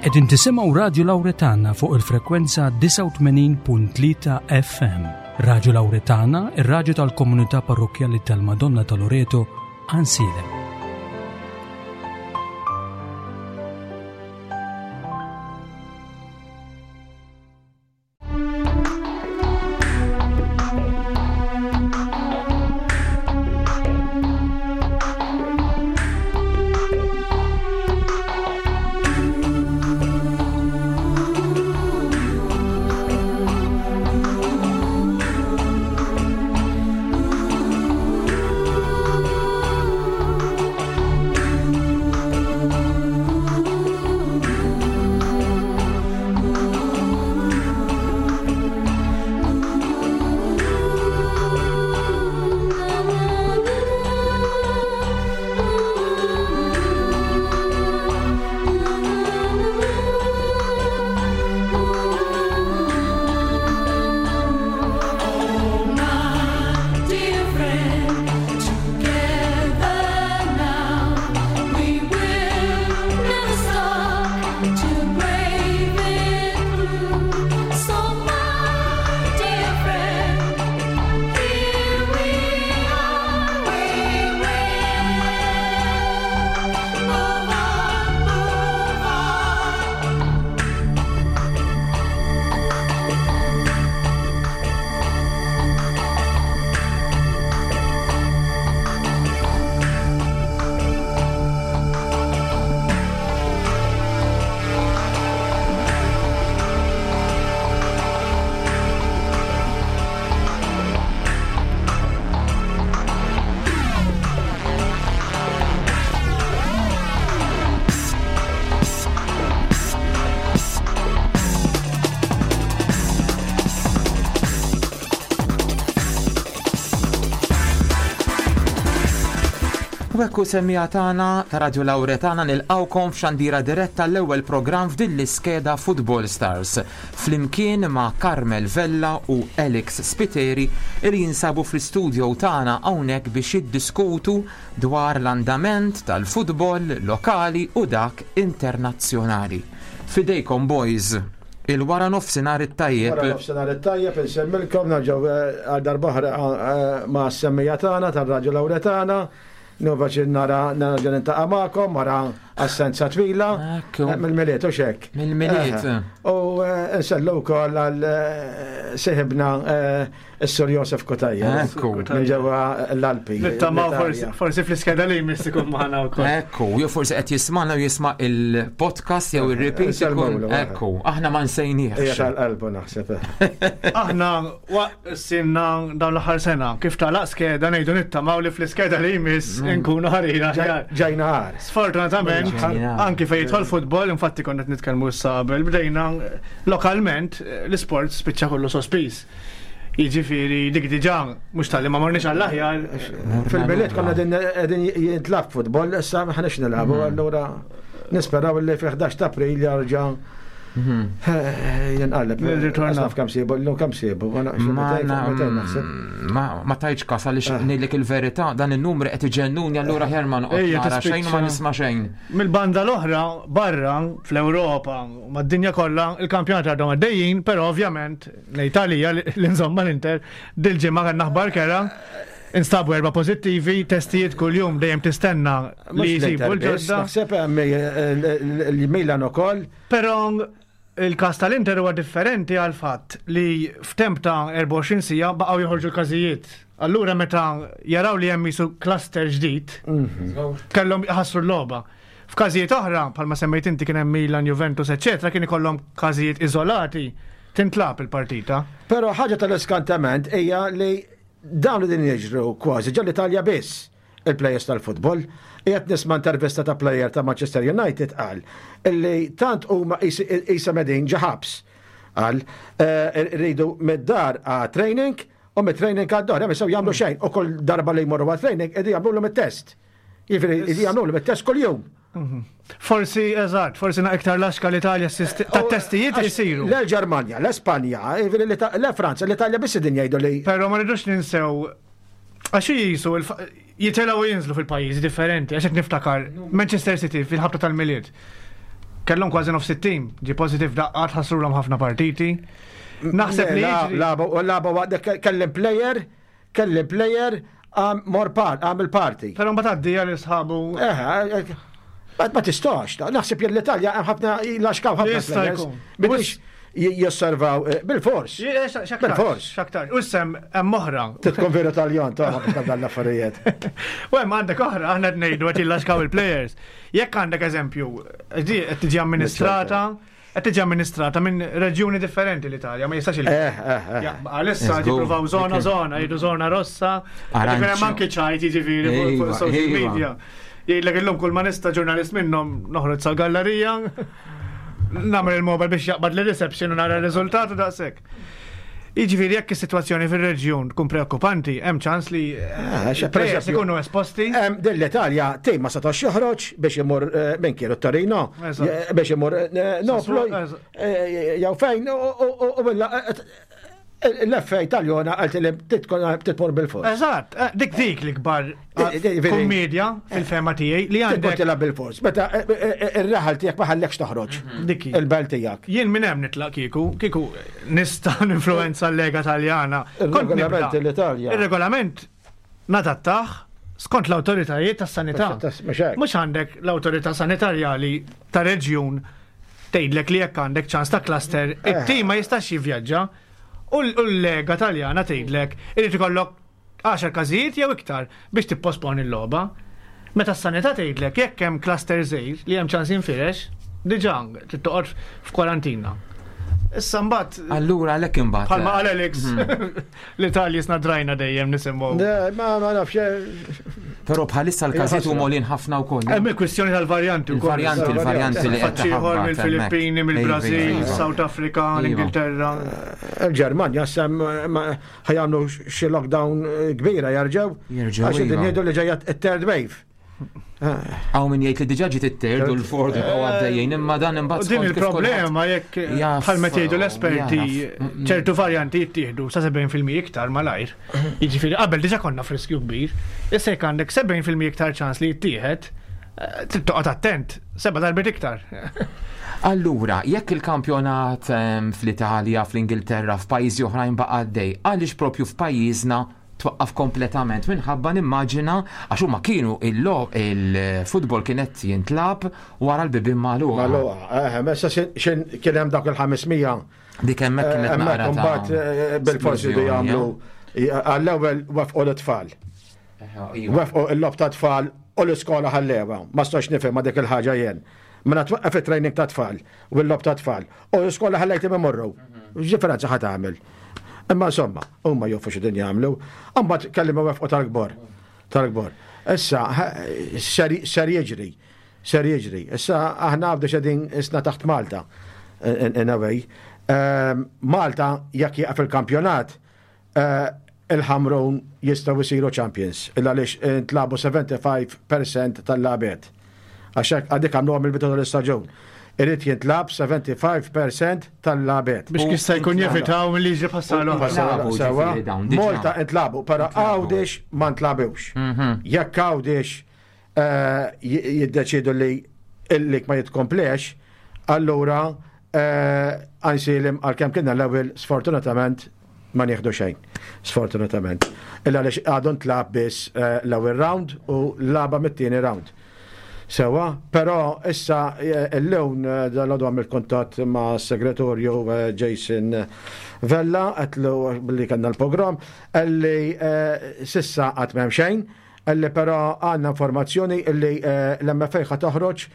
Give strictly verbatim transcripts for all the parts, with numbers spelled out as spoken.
Qegħdin tisimgħu Radio Lauretana fuq il-frekwenza disgħa u tmenin punt tlieta F M. Radio Lauretana, ir-radju tal-komunità parrokkjali tal-Madonna ta' Loreto, Għajnsielem. Ekku semmija tagħna ta' Radio Lauretana nilqawkom f'xandira diretta l-ewwel programm f'din l-iskeda Football Stars flimkien ma' Carmel Vella u Alex Spiteri li jinsabu fl-istudio tagħna hawnhekk biex jiddiskutu dwar l-andament tal-futbol lokali u dak internazzjonali. Fidejkom boys, il-wara nofsinhar it-tajjeb. Wara nofsinhar it-tajjeb insemmilkom nerġgħu, eh, għal darb'oħra, eh, ma' semmija tagħna tar-Radio Lauretana. Nova nara nerġa' nintaqa' magħkom wara assenza twila. Ekku. Eh, mill-Milied u xek. Mill-Milied. Eh, u, eh, nsellu wkoll għal, eh, sieħibna, eh, is-Sur Josef Cutajar. Ekku. Minn ġewwa l-Alpi. Nittama L-Italja. forsi, forsi fl-iskeda li jmiss ikun magħna wkoll. Ekku, jew forsi qed jisma'na u jisma' il-podcast jew ir-repeat ikun. Nselmulu, eh. Ekku, aħna ma nsejniex. Hija tal-qalbu naħseb. Aħna waqt sinna dawn l-aħħar sena, kif tagħlaq skeda ngħidu nittamaw li fl-iskeda li jmiss Mm. nkunu ħarira aħjar. Ġejna ħar. Sfortunatament, Ġejna. anki fejn jidħol futbol, infatti konna qed nitkellmu issa qabel, bdejna lokalment l-isport spiċċa kollu sospiż. Jiġifieri dik diġà mhux tal-li ma morniex għall-aħjar. Fil-Milied konna din qegħdin jintlab futbol, issa ma ħaniex nilagħbu, Mm. allura nisperaw li fi ħdax ta' April jarġa' Mhm. eh, jinqaleb. Nirritorna. Naf kemm sibu, llum kemm sibu, ma nafx, Ma mitejn, na- mitejn naħseb. ma- ma tajtx kas għaliex Eh. ngħidlek il-verità, dan in-numri qed iġennuni allura ħjar ma noqgħod Ejja, nara xejn u ma tispiċċa. nisma' xejn. Mill-banda l-oħra, barra, fl-Ewropa, mad-dinja kollha, il-kampjonat għadhom għaddejjin, però ovvjament l-Italja, l-insomma l-Inter, dil-ġimgħa kellna aħbar kera, instabu erba' pożittivi, testijiet kuljum dejjem tistenna li Mhux jsibu l-Inter biss, l-ġodda. Naħseb hemm, eh, l-, l-Milan ukoll. Però il-każ tal-Inter huwa differenti għal fatt li f'temp ta' erbgħa u għoxrin siegħa baqgħu joħorġu l-każijiet. Allura meta jaraw li hemm jisu cluster ġdid, Mhm. kellhom jħassru l-logħba. F'każijiet oħra, bħalma semmejt inti kien hemm Milan, Juventus, eċċetera, kien ikollhom każijiet iżolati tintlab il-partita. Però ħaġa tal-iskantament hija li dawn li din jiġru kważi ġol l-Italja biss il-players tal-futbol. Qiegħed nisma' intervista ta' player ta' Manchester United qal illi tant huma qis-, qisha medin ġa ħabs. Qal, eh, rridu mid-dar għat training u mid-training għad-dar, hemm jistgħu jagħmlu xejn u kull darba li jmorru għat training qegħdin jagħmluhom it-test. Jiġifieri qegħdin jagħmluhom it-test kuljum. Mhm. Forsi, eżatt, forsi na iktar laxka l-Italja s-sisti-, ta' testijiet Għax isiru. Le l-Ġermanja, l-Espanja, jiġifieri l-Ita-, le Franza, l-Italja biss din jgħidu li Però ma rridux ninsew, għax jisu il-fa-, jitilgħu u jinżlu fil-pajjiżi differenti, għax qed niftakar Manchester City fil-ħabta tal-Milied. Kellhom kważi nofs it-tim, ġie positive daqqa, tħassrulhom ħafna partiti. Naħseb li jiġri- Lagħbu, lagħbu, waqt kellim player, kellim player, għam mor par, għam il-party. Però mbagħad għaddi għal sħabu. Eh, eh, ma ma tistax, ta' naħseb jien l-Italja hemm ħafna laxkaw ħafna Jista' players jkun. Biex josservaw eh, bil-fors. Bil-fors. Xaktar. U sem hemm oħra. Titkun veru Taljan, ta' ma dan l-affarijiet. U hemm għandek oħra, aħna qed ngħidu qed jillaxkaw il-players. Jekk għandek eżempju, di qed tiġi amministrata, qed tiġi amministrata minn reġjuni differenti l-Italja, ma jistax il- Eh, eh, eh. Ja, Għalissa Let's go. jippruvaw zona Okay. zona, jgħidu zona rossa, Aranċ. ġifieri hemm anki ċajt jiġifieri fuq- fuq Iva, social iva. media. Jgħidlek illum kull ma nista' ġurnalist minnhom noħroġ sal-gallerija, nagħmel il-mobile biex jaqbad li reception u nara r-riżultat u daqshekk. Jiġifieri jekk is-sitwazzjoni fir-reġjun tkun preokkupanti, hemm ċans li Eh, xe- per il-players eżempju- ikunu esposti. Em, Din l-Italja tim ma setax joħroġ biex imur eh, minn kienu Torino, Eżatt. eh, biex imur eh, Napoli, Eżatt. eh, jew fejn, u- u u- u billa, eh, eh, l-F A Taljona għalt li titmur bil-fors. Eżatt, eh, dik dik l-ikbar Eh, eh, veri. kommedja fil-fema tiegħi li Titmur għandek tilgħab bil-fors. Meta eh, eh, eh, ir-raħal tiegħek ma ħallekx toħroġ. Dikki. Il-belt tiegħek. Jien minn hemm nitlaq kieku, kieku nista' ninfluenza l-Lega Taljana. Kont Il-regolament nibda. l-Italja. Il-regolament nadattaħ skont l-awtoritajiet tas-sanità. Mhux hekk. Mhux għandek l-awtorità sanitarjali ta' reġjun tgħidlek li jekk għandek ċans ta' cluster, Eh. it-tim ma jistax jivvjaġġa u l- u l-Lega Taljana tgħidlek irid ikollok għaxar każijiet jew iktar biex tipposponi l-logħba. Meta s-sanità tgħidlek jekk hemm cluster żgħir li hemm ċans jinfirex, diġà trid toqgħod f'kwarantina. Issa mbagħad Allura għalhekk imbagħad. bħalma qal Alex l-Italji sna drajna dejjem nisimgħu. Ne, Ma ma nafx. eh, Però bħalissa l-każijiet Ħasra. huma għolin ħafna wkoll. Hemm il-kwistjoni tal-varjanti wkoll. Il-varjanti, il-varjanti li qed Faċċieħor taħabbat mill-Filippini, hemmhekk. mill-Brażil, Iva, iva. South Africa, Iva. l-Ingilterra. Il-Ġermanja sem ħa jagħmlu xi lockdown eh, kbira jerġgħu. Jerġgħu, Għax din iva. jgħidu li ġejja it-third wave. Hawn min jgħid li diġà ġiet it-third u l-fourth u għaddejjin imma dan U imbagħad din skont kif il-problema jekk Jaf, bħal meta jgħidu l-esperti jaraf. Mm, ċertu varjanti jittieħdu sa sebgħin fil-mija iktar malajr. Jiġifieri qabel diġà konna f'riskju kbir. Issa jekk għandek sebgħin fil-mija iktar ċans li jittieħed, eh, trid toqgħod attent, seba' darbiet iktar. Allura, jekk il-kampjonat em, fl-Italja, fl-Ingilterra, f'pajjiżi oħrajn baqa' għaddej, għaliex propju f'pajjiżna twaqqaf kompletament minħabba nimmaġina għax huma kienu il-logħob il-futbol kienet jintlab wara l-bibien magħluqa. Magħluqa, eh, messa xin kien hemm dak il-ħames mija. Dik hemmhekk kienet Hemmhekk naqra ta' imbagħad eh, bil-forsi jridu splużjoni, jagħmlu għall-ewwel wafqu l-tfal. eh? Iva. Wafqu il-logħob ta' tfal u l-iskola ħallewa. Ma stax nifhem ma dik il-ħaġa jien. Mela twaqqaf it-training ta' tfal u l-logħob ta' tfal. U l-iskola ħallejt imorru. X'differenza ħa tagħmel? Imma insomma, huma jafu x'din jagħmlu. Imbagħad kellimu wafqu tal-kbar. Tal-kbar. Issa ser ser jiġri. Ser jiġri. Issa aħna għabdu xedin isna taħt Malta. In, in a way. Ehm, Malta jekk jieqaf il-kampjonat, eh, il-Ħamrun jistgħu jsiru champions. Illa għaliex intlabu sebgħa u ħamsin fil-mija tal-lagħbiet. Għax hekk għadik għamluha mill-bidu tal-istaġun. Irid jintlab sebgħa u ħamsin fil-mija tal-lagħbiet. Biex jista' jkun jevitaw milli jiġri bħas-sena l-oħra. Intlabu, Sewa, ġifieri dawn, diġà. Malta intlabu, però Intlabu. Għawdex ma ntlabewx. Jekk Għawdex eh, j- jiddeċidu li il-lig ma jitkomplex, allura Għajnsielem għalkemm kienna l-ewwel sfortunatament ma nieħdu xejn. Sfortunatament. Illa għaliex għadu ntlab biss eh, l-ewwel round u laba mit-tieni round. Sewa, però issa eh, il-lewn eh, dal-għodu għamil kontat ma' segretorju eh, Jason Vella, għedtlu billi kellna l-program, illi eh, s'issa għad m'hemm xejn, illi però għandna informazzjoni illi eh, l-M F A ħa toħroġ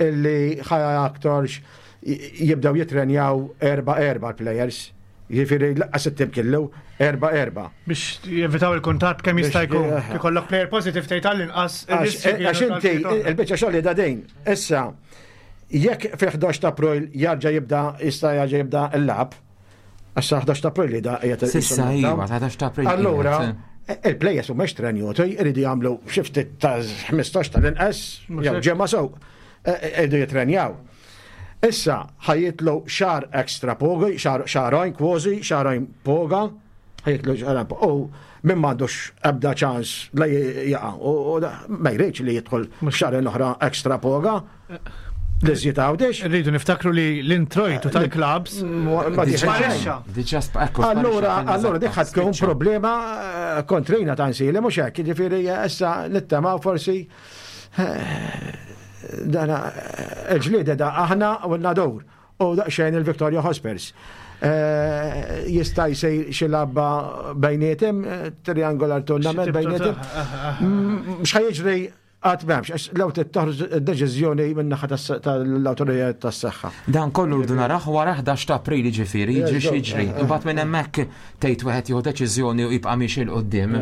illi ħa aktarx jibdaw jitrenjaw erba erba l-players. Jiġifieri lanqas it-tim kellu erba erba. Biex jevitaw il-kuntatt kemm jista' Biex- jkun. eh, Ikollok player positive tgħid tal-inqas. Għax għax inti, il-biċċa xogħol da din. Issa, jekk fi ħdax ta' April jarġa' jibda, jista' jarġa' jibda l-lagħab, għax sa ħdax ta' April li da qiegħed S'issa iva, ħdax ta' April. Allura, qiegħed. il-players mhumiex trenjuti, jridu jagħmlu xi ftit ta' ħmistax tal-inqas, Mhux jew hekk. ġemma sew, jridu jitrenjaw. Issa, ħa jitlu xahar extra poga, xahar xahrejn kważi, xahrejn poga, ħa jitlu xahrejn poga. U min m'għandux ebda ċans la jaqa', u u da- ma jridx li jidħol xahrejn oħra extra poga. L-iżjed Għawdex. Rridu niftakru li l-introjtu tal-klabs Ma sparixxa. Diġà sp- ekku, Allura, sparixxa, allura dik ħad tkun spiċċa. problema eh, kontrina ta' nsili, mhux hekk, jiġifieri eh, issa nittamaw forsi eh, dana eh, il-ġlieda da aħna u n-Nadur u daqsxejn il-Victoria Hotspurs. Eh, Jista' jsir xi lagħba bejniethom, eh, triangular tournament Xi tip ta' bejniethom. Mm, X'ħa jiġri għad m'hemmx, għax law toħroġ deċiżjoni min-naħa tal-awtoritajiet tas-saħħa. Dan kollu rridu naraw wara ħdax ta' April, ġifieri, jiġri x'jiġri. Imbagħad minn hemmhekk tgħid wieħed jieħu deċiżjoni u jibqa' miexi 'l quddiem.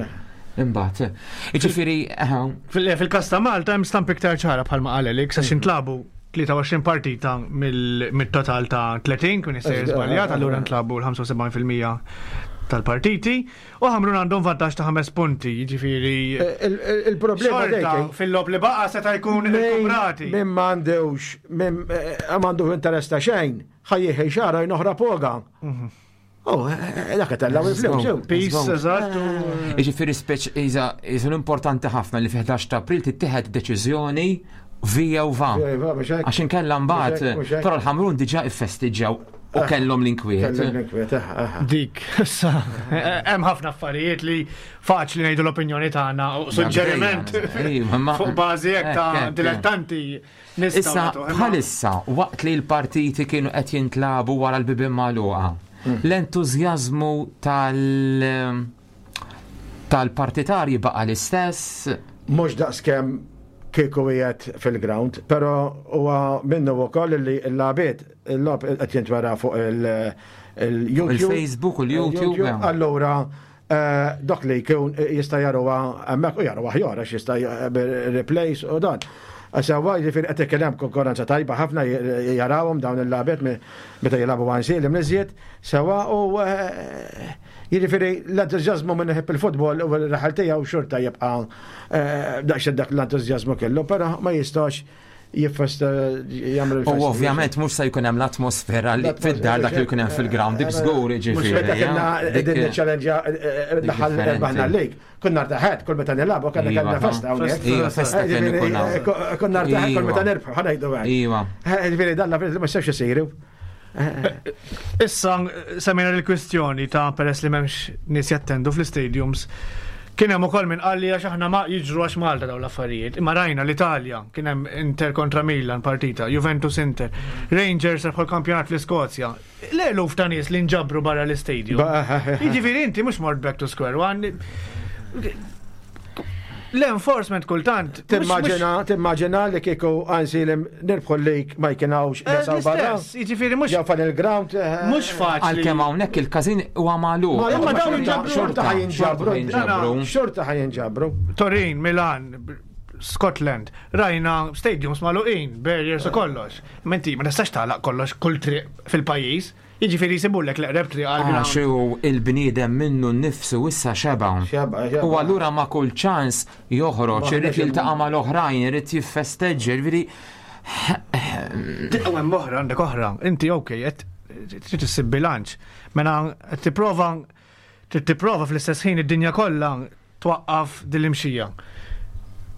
Imbagħad. Jiġifieri, eh, Fil- Fil-kas ta' Malta hemm stamp iktar ċara bħalma qal Alex għax intlabu tlieta u għoxrin partita mill- mit-total ta' tletin, kun jista' żbaljat, allura ntlabu l-ħamsa u sebgħin fil-mija tal-partiti u Ħamrun għandhom vantaġġ ta' ħames punti, jiġifieri Eh, il- il- Il-problema xorta dejk fil-logħob li baqa' seta' jkun irkuprati. Min m'għandux, min eh, m'għandu interess ta' xejn, ħa jieħi xara oħra poga. Oh, eh, dak tellaw il-flus. Żgur. Peace, eżatt. u- Jiġifieri speċ iża iżu importanti ħafna li fi ħdax ta' April tittieħed deċiżjoni via u va. Għax inkella mbagħad, Mhux hekk, mhux hekk. però l-Ħamrun diġà iffestiġġaw u kellhom l-inkwiet. Dik, issa, hemm ħafna affarijiet li faċli ngħidu l-opinjoni tagħna u suġġeriment Ejwa, ma- fuq bażi hekk ta' Hekk, hekk. dilettanti nistgħu Issa, nagħtu, imma- bħalissa, waqt li l-partiti kienu qed jintlabu wara l-bibien magħluqa, l-entużjażmu tal- tal-partitarji baqa l-istess? Mhux daqskemm kieku qiegħed fil-ground, però huwa minnu wkoll li l-lagħbiet il-logħob qed jintwera fuq il- il-YouTube. Il-Facebook u l-YouTube. Allura, eh, dok li jkun jista' jaruha hemmhekk u jaruha aħjar għax jista' replays u dan. Sewwa, jiġifieri qed ikun hemm konkurrenza tajba ħafna jarawhom dawn il-lagħbiet meta jilagħbu Għajnsielem l-iżjed, sewwa, u eh, jiġifieri l-entużjażmu minn iħobb il-futbol u l-raħal tiegħu xorta jibqa' eh, daqs dak l-entużjażmu kellu, però ma jistax jiffesta jagħmel il-festa. U ovvjament mhux se jkun hemm l-atmosfera li fid-dar dak li jkun hemm fil-ground, dik żgur Mhux jiġifieri. meta kena dik- din challenge l-aħħar differenti. rbaħna l-league. Konna rtaħet kull meta nilagħbu kellna Iva, kellna festa hawnhekk. Iva, festa kien ikun hawn. Konna rtaħet kull meta Iva. nirbħu, ħa ngħidu hekk. Iva. Ġifieri dan l ma jistax isiru. Issa semmejna l-kwistjoni ta' peress li m'hemmx nies jattendu fl-stadiums. Kien hemm ukoll min qalli għax aħna ma jiġru għax Malta dawn l-affarijiet. Imma rajna l-Italja, kien hemm Inter kontra Milan partita, Juventus Inter, Rangers rebħu l-kampjonat fl-Iskozja. L-eluf ta' nies li nġabru barra l-istadium. Jiġifieri inti mhux mort back to square one. L-enforcement kultant. mhux- Timmaġina, timmaġina li kieku Għajnsielem nirbħu l-league ma jkunawx mhux- nies barra. L-istess, jiġifieri mhux Ġew fan il-ground. eh, mhux faċli. Għalkemm hawnhekk il-każin huwa magħluq. Ma Imma dawn xorta- jinġabru. xorta ħa jinġabru. Xorta jinġabru. Xorta ħa jinġabru. Torin, Milan, Scotland, rajna stadiums magħluqin, barriers u kollox. Menti, ma tistax tagħlaq kollox kull triq fil-pajjiż. Jiġifieri jsibulek l-eqreb triq għal Għax ground. hu il-bniedem minnu nnifsu issa xeba'. Xeba, xeba. U allura ma kull ċans joħroġ, Ma irid ħnex jiltaqa' mal-oħrajn, irid jiffesteġġa, jiġifieri U hemm oħra, għandek oħra. Inti ok, qed trid issib bilanċ. Mela qed tipprova trid tipprova fl-istess ħin id-dinja kollha twaqqaf din l-imxija.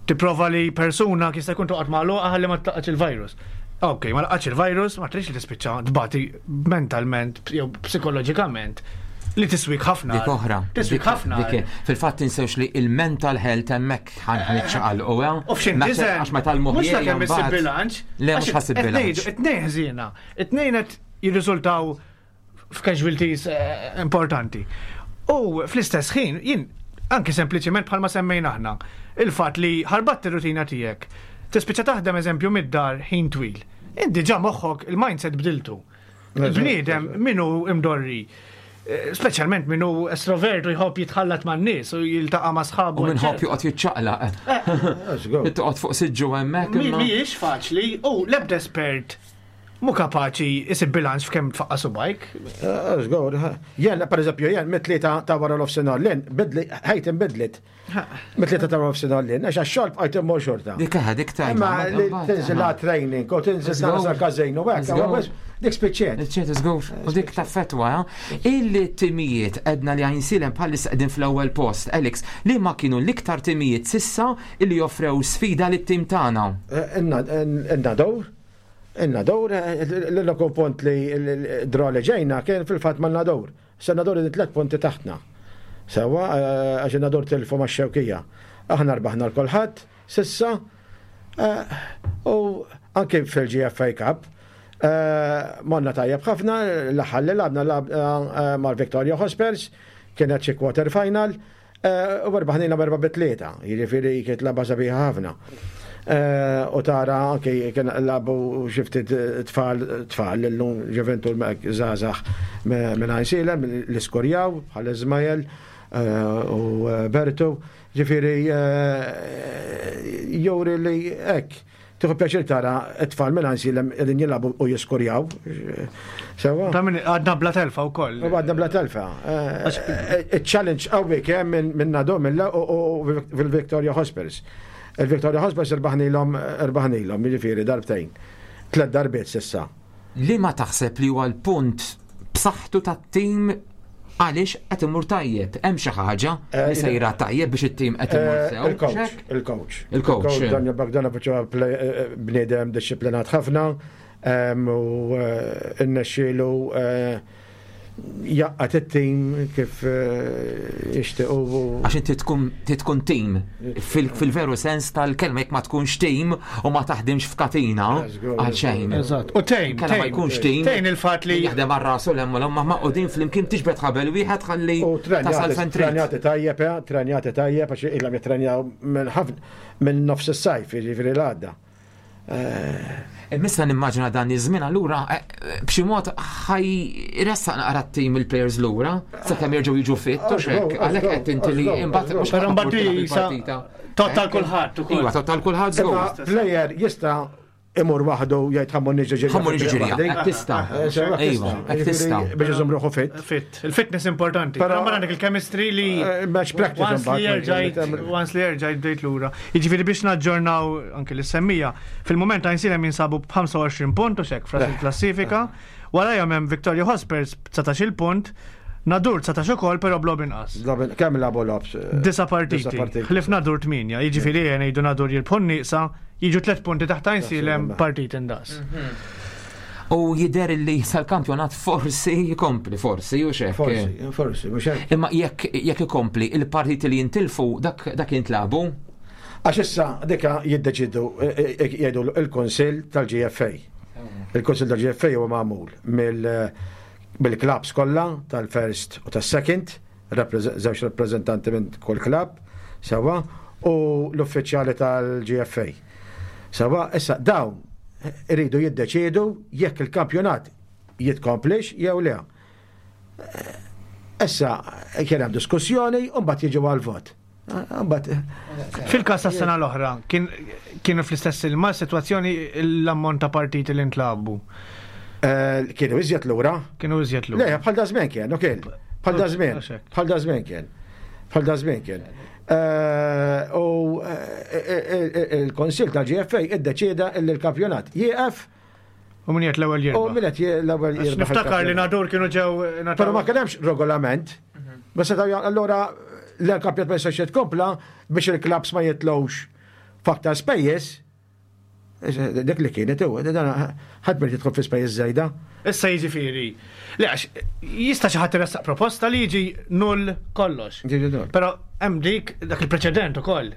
Tipprova li persuna jista' jkun toqgħod magħluqa ħalli ma tlaqax il-virus. Ok, ma laqax il-virus, ma tridx li tispiċċa tbati mentalment jew psikoloġikament li tiswik ħafna. Dik oħra. Tiswik Dik- ħafna. dik- Fil-fatt tinsewx li il-mental health hemmhekk ħan ċaqalqu. U f'xin tiżen. Għax meta l-moħħ Mhux ta' kemm issib bilanċ. Le, mhux ħa ssib Qed ngħidu, bilanċ. it-tnejn ħżiena. It-tnejn qed jirriżultaw f'casualties eh, importanti. U fl-istess ħin, jien anki sempliċiment bħalma semmejna aħna, il-fatt li ħarbatt ir-rutina tiegħek, tispiċċa taħdem eżempju mid-dar ħin twil. Inti ġa moħħok il-mindset bdiltu. Il-bniedem minnu imdorri, eh, speċjalment minnu estrovert u jħobb jitħallat man-nies u jiltaqa' ma' sħabu. U min iħobb joqgħod jiċċaqlaq. Żgur. Toqgħod fuq siġġu hemmhekk. Mi- imma- Mhijiex faċli u l-ebda espert mu kapaċi isib bilanċ f'kemm tfaqqa subajk. Żgur. Jien, per eżempju, jien mit-tlieta ta' wara l-offsinar lin, bidli, ħajti nbidlit. Mit-tlieta ta' wara l-offsinar lin, għax għax-xogħol bqajt immur xorta. Dik eħe, dik tajba. Imma li tinżil la training u tinżil Żgur. nara każin u hekk, Żgur. dik spiċċiet. Ċet, żgur, u dik taffetwa, eh? Il-timijiet edna li Għajnsielem bħalissa qegħdin fl-ewwel post, Alex, li ma kienu l-iktar timijiet s'issa illi joffrew sfida lit-tim tagħna. In-Nadur, In-Nadur, l-uniku punt li draw li ġejna kien fil-fatt ma' Nadur. Sa Nadur li tlet punti taħtna. Sewa, għax in-Nadur tilfu ma' Xewkija. Aħna rbaħna l-kulħadd, s'issa, u anke fil-G F A Cup, morna tajjeb ħafna, l-aħħar li lgħabna lgħabna mal-Victoria Hotspurs, kienet xi quarter final, u rbaħnina b'erba' bi tlieta, jiġifieri kienet lagħba sabiħa ħafna. U tara anke kien lagħbu xi ftit tfal tfal illum ġeventu żgħażagħ minn Għajnsielem li skorjaw bħal Ismael u Bertu, ġifieri juri li hekk. Tieħu pjaċir tara t-tfal minn Għajnsielem qegħdin jilagħbu u jiskorjaw. Sewa. Ta' min għadna bla telfa wkoll. U għadna bla telfa. Il-challenge qawwi kemm minn Nadur u fil-Victoria Hotspurs. Il-Victoria Hotspurs irbaħnilhom irbaħnilhom, jiġifieri darbtejn. Tlet darbiet s'issa. Li ma taħseb li huwa l-punt b'saħħtu tat-tim għaliex qed imur tajjeb? Hemm xi ħaġa li sejra tajjeb biex it-tim qed imur sew? Il-coach, il-coach. Il-coach. Daniel Bogdanovic huwa bniedem dixxiplinat ħafna u rnexxielu jgħaqqad it-tim kif jixtiequ. Għax inti tkun tkun tim fil-veru sens tal-kelma, jekk ma tkunx tim u ma taħdimx f'katina għal xejn. Eżatt. U tejn, Kella ma jkunx tim. Tejn il-fatt li jaħdem għal rasu l hemm ma maqudin flimkien, tiġbed ħabel wieħed ħalli U tasal fejn trid. Trenjati tajjeb, eh, trenjati tajjeb, għax ilhom jittrenjaw minn ħafna minn nofs is-sajf, jiġifieri l-għadda. Missa nimmaġina dan iż-żmien allura eh, b'xi mod ħa jressaq naqra t-tim il-players lura sakemm jerġgħu jiġu fit u xek, għalhekk qed inti li imbagħad mhux Però mbagħad il-partita. Total kulħadd ukoll. Iva, total kulħadd Imma żgur. player jista' imur waħdu jgħid ħa mmur niġri ġirja. Ħa mmur niġri ġirja, hekk tista'. Iva, hekk tista'. Biex iżomm ruħu fit. Fit. Il-fitness importanti. Però- Però mbagħad għandek il-chemistry li Eh, match practice Once li imbagħad, erġajt, once li erġajt bdejt lura. Jiġifieri biex naġġornaw anke l-semmija, fil-moment Għajnsielem jinsabu b'ħamsa u għoxrin punt u xek fras il-klassifika. Warajhom hemm Victoria Hotspurs b'dsatax-il punt, Nadur dsatax ukoll però b'logħob inqas. Kemm lagħbu logħob? Disa partiti. Ħlief Nadur tmienja, jiġifieri ngħidu Nadur jirbħu nieqsa, jiġu tliet punti taħt Għajnsielem partit indaqs. U jider li sal-kampjonat forsi jkompli, forsi, u xek. Forsi, forsi, mhux hekk. Imma jekk jekk ikompli il-partiti li jintilfu dak dak jintlagħbu, Għax issa dika jiddeċidu eh, eh, jgħidu il-Kunsill tal-G F A. Il-Kunsill tal-G F A huwa magħmul mill mill-clubs kollha tal-first u tas-second, żewġ rappreżentanti minn kull club, sewa, u l-uffiċjali tal-G F A. Sewa, issa dawn iridu jiddeċidu jekk il-kampjonat jitkomplix jew le. Issa kien hemm diskussjoni u mbagħad jiġu għal-vot. Mbagħad Fil-kas tas-sena l-oħra, kien kienu fl-istess ilma situazzjoni l-ammont ta' partiti li ntlagħbu? eh, kienu iżjed lura. Kienu iżjed lura. Le, bħal da żmien kien, u kien. Bħal da żmien. Għax hekk. Bħal da żmien kien. Bħal da żmien kien. Eh, U eh, il-Kunsill tal-G F A iddeċieda li l-kampjonat jieqef U min qed l-ewwel u jirbaħ. min qed l-ewwel Għax jirbaħ niftakar li il-kampjonat. Nadur kienu ġew Però ma kien hemmx regolament. Ma setgħu allura l-kampjonat ma jistax jitkompla biex il-clubs ma jitilgħux f'aktar spejjeż. Dik li kienet huwa, dan ħadd ma jidħol fi spejjeż żejda. Issa jiġifieri. Le għax jista' xi ħadd iressaq proposta li jiġi null kollox. Jiġi null. Però hemm dik dak il-preċedent ukoll.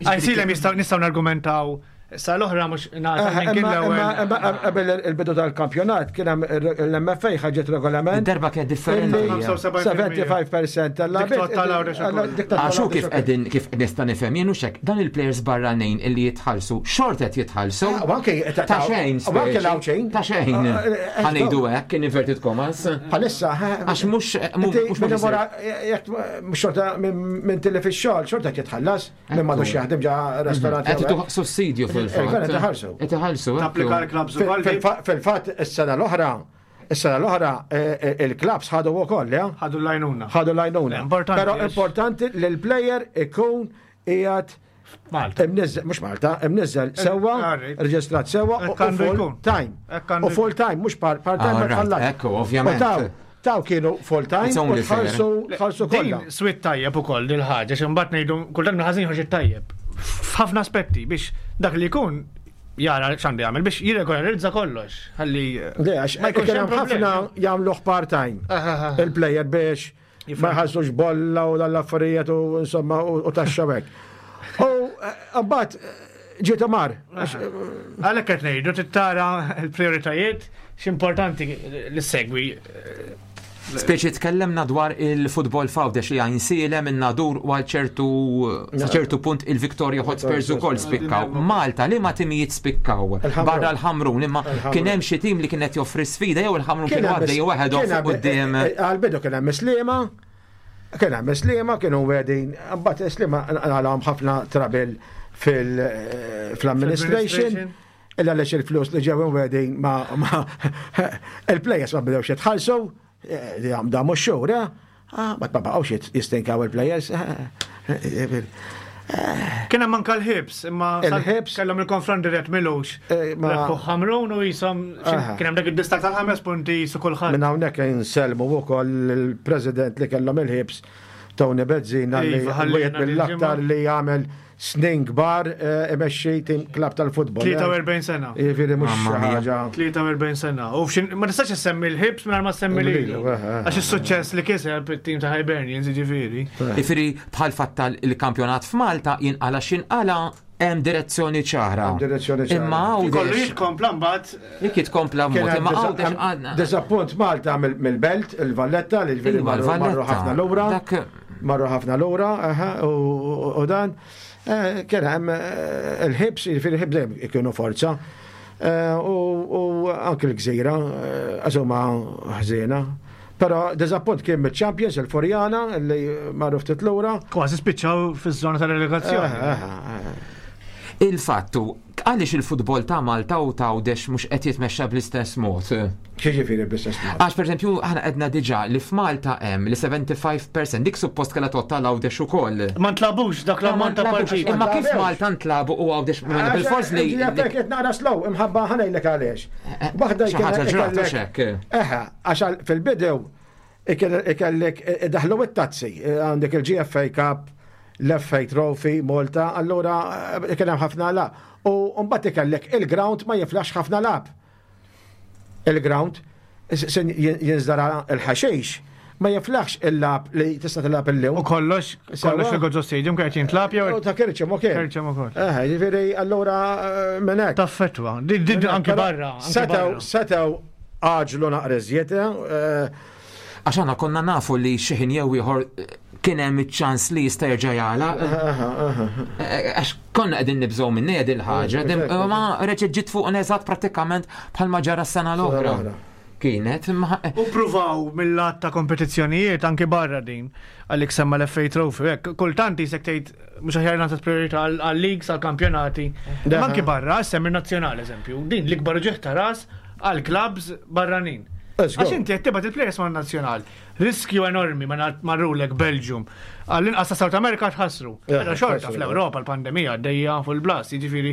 Għajnsielem jistgħu nistgħu nargumentaw sa l-oħra mhux nagħta minn kien Imma l-ewwel. qabel il-bidu tal-kampjonat kien hemm l-M F A ħarġet regolament. Darba kien differenti. Illi sebgħa u sebgħin fil-mija tal-lagħbiet. Dik tal-Għawdex ukoll. Għaxu kif qegħdin kif nista' nifhem jien hux hekk, dan il-players barranin illi jitħallsu, xort qed jitħallsu. Ah, u anke Ta' xejn, u anke l-Għawdxin. Ta' xejn. Ah, eh, Ħa ngħidu hekk in inverted commas. Bħalissa, Għax mhux Inti mhux minn wara, jekk mhux xorta minn tilli fix-xogħol, xorta jitħallas, minn m'għadux jaħdem ġa restorant. Qed ituh sussidju fil-fatt. Eh, qed iħallsu. Qed iħallsu. Tapplika l-clubs ukoll. Fil-fatt is-sena l-oħra, is-sena l-oħra eh, eh, il-clubs ħadu wkoll, ja? Ħadu l-għajnuna. Ħadu l-għajnuna. Importanti, Però għax- importanti li l-player ikun qiegħed Malta. imniżżel, mhux Malta, imniżżel sewwa, Alright. reġistrat sewwa u Hekk għandu full jkun. time. Hekk għandu U full time, mhux part time ma Alright, tħallas. ekku, ovvjament. U taw, taw kienu full time It's u only fair. tħallsu tħallsu kollha. Din swit tajjeb ukoll dil ħaġa xi mbagħad ngħidu kultant mill-ħażin joħroġ it-tajjeb. F'ħafna aspetti biex dak li jkun Jara x'għandu jagħmel biex jirregolarizza kollox. Ħalli Le, għax ma jkunx kien hemm hemm ħafna problemi. jagħmluh part-time Aha. il-player biex ma jħallsux bolla u dal-affarijiet u insomma u u taxxa hekk. U eh, mbagħad eh, ġiet mar. Għax, eh, Għalhekk qed ngħidu trid tara l-prioritajiet x'importanti li segwi. Speċi tkellemna dwar il-futbol f'Għawdex li Għajnsielem in-Nadur u għal ċertu sa ċertu punt il-Victoria Hotspurs ukoll spikkaw. Malta li ma timijiet spikkaw Il-Ħamrun. barra l-Ħamrun imma kien hemm xi tim li kienet joffri sfida jew il-Ħamrun kienu għaddej waħedhom kien fuq hemm- quddiem. eh, eh, Għal-bidu kien hemm Sliema, kien hemm Sliema, kienu wedin, mbagħad Sliema għalhom ħafna trouble fil- eh, fl-administration. Illa għaliex il-flus li ġew wedin ma ma il-players ma bdewx jitħallsu, eh, li għam damu xhur, eh? Ah, ma baqgħux jit- jistinkaw il-players. eh, eh, Kien hemm anke l-Hibs, imma sal- Il-Hibs. kellhom il-konfront dirett milux. Eh, ma- Rebħu Ħamrun u jisom Aha. kien hemm dak id-distak tal-ħames punti su kulħadd. Minn hawnhekk insellmu wkoll il-President li kellhom il-Hibs Tony Bezzina li Iva, ħallina wieħed mill-aktar dil-ġimgħa. li jagħmel snin kbar eh, imexxi tim klab tal-futbol. eh. tlieta u erbgħin sena. Jiġifieri mhux Mamma xi mia. ħaġa. tlieta u erbgħin sena. U f'xin ma tistax issemmi l-Hibs mingħajr ma semmi lilu. Lilu, eh, eh. Għax is-suċċess li kiseb it-tim ta' Hibernians jiġifieri. Jiġifieri bħal fatt il-kampjonat f'Malta jinqala x'inqala hemm direzzjoni ċara. Hemm direzzjoni ċara. Imma Kollu Għawdex jitkompla mbagħad jekk jitkompla Kien mod, hemm imma disa- Għawdex hemm għadna. Disappunt Malta mill- mill-Belt, il-Valletta, li ġifieri Iva, marru marru l-Valletta. ħafna lura. Dak Marru ħafna lura, aha, u u dan eh, kien hemm eh, il-Hibs, jiġifieri il-Hibs dejjem ikunu forza. Eh, U u anke l-Gżira, eh, għax huma ħżiena. Però diżappunt kien mill-Champions, il-Furjana, li marru ftit lura. Kważi spiċċaw fiż-żona tal-relegazzjoni. Eh, eh, eh. Il-fattu, għaliex il-futbol ta' Malta u ta' Għawdex mhux qed jitmexxa bl-istess mod? X'jiġifieri bl-istess mod? Għax per eżempju, aħna għedna diġà li f'Malta hemm li sebgħa u sebgħin fil-mija dik suppost kellha tgħodd għal Għawdex ukoll. Ma ntlagħbux dak l-ammont ta' partiti. Imma kif ntlagħbux. Malta ntlabu u Għawdex mela bil-fors li Ġifieri qed naqra slow, imħabba ħa ngħidlek għaliex. Waħda xi ħaġa ġrat u ikellek- xek. Eħe, għax għal- fil-bidew ikellek daħlu it-tazzi, għandek il-G F A Cup, l-F A Trophy, Malta, allura eh, kien hemm ħafna lagħab. U mbagħad ikellek il-ground ma jiflax ħafna lagħab. Il-ground se jinżdara il-ħaxix ma jiflax il-lagħab li tista' tilgħab illum. U kollox, kollox fil-Gozo Stadium kien jintlagħab jew U ta' Kerċem ukoll. Kerċem ukoll. Eħe, ġifieri allura eh, minn hekk. Taffetwa. Din din anki barra. Anki Setgħu, barra. setgħu għaġlu naqra iżjed, eh, Għax aħna konna nafu li xi ħin jew ieħor eh, kien hemm iċ-ċans li jista' jerġa' jagħlaq. Eh, Għax konna qegħdin nibżgħu minn din il-ħaġa, Eh, ma reġgħet ġiet fuq eżatt prattikament bħalma ġara s-sena l-oħra. l-oħra. Kienet, imma U pruvaw mill-lat ta' kompetizzjonijiet anki barra din għalik semma l-F A Trophy. Hekk, kultant jisek tgħid mhux aħjar nagħti priorità għal-leagues, għal-kampjonati. Da. Ma anki barra, semmi nazzjonali eżempju. Din l-ikbar ġieħ ta' ras għal-clubs barranin. Let's go. Għax inti qed tibgħat il-players ma' nazzjonal. Riskju enormi ma marrulek Belgium. Għall-inqas ta' South America tħassru. Eh, Però xorta tħassru. fl-Ewropa l-pandemija għaddejja fuq il-blas, jiġifieri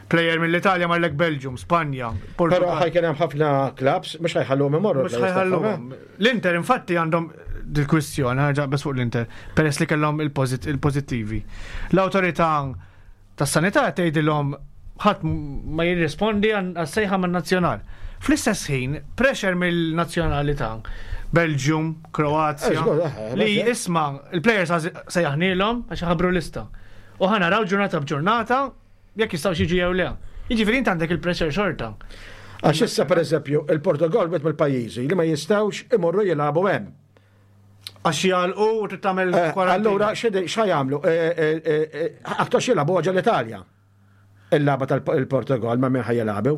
player mill-Italja marlek Belgium, Spanja, Però Portugal. ħa jkun hemm ħafna clubs, mhux ħa jħalluhom imorru. Mhux ħa jħalluhom. L-Inter infatti għandhom dil-kwistjoni, ħarġa bes fuq l-Inter, peress li kellhom il-pożit- il-pożittivi. L-awtorità tas-sanità tgħidilhom ħadd ma jirrispondi għas-sejħa man-nazzjonal. Fl-istess ħin, pressure mill-nazzjonalità, Belgium, Kroazja, Eh, żgur, eh, li eh. isma il-players sejjaħnielhom għax ħabru lista. U ħa naraw ġurnata b'ġurnata jekk jistgħu jiġu jew le. Jiġifieri inti għandek il-pressure xorta. Għax issa per eżempju, il-Portugal wieħed mill-pajjiżi li ma jistgħux imorru jilagħbu hemm. Għax jagħlqu u trid tagħmel Eh, kwarantina. Allura x'ha jagħmlu? Aktar jilagħbu ġo l-Italja. Il-lagħba tal-Portugal ma' min ħa jilagħbu.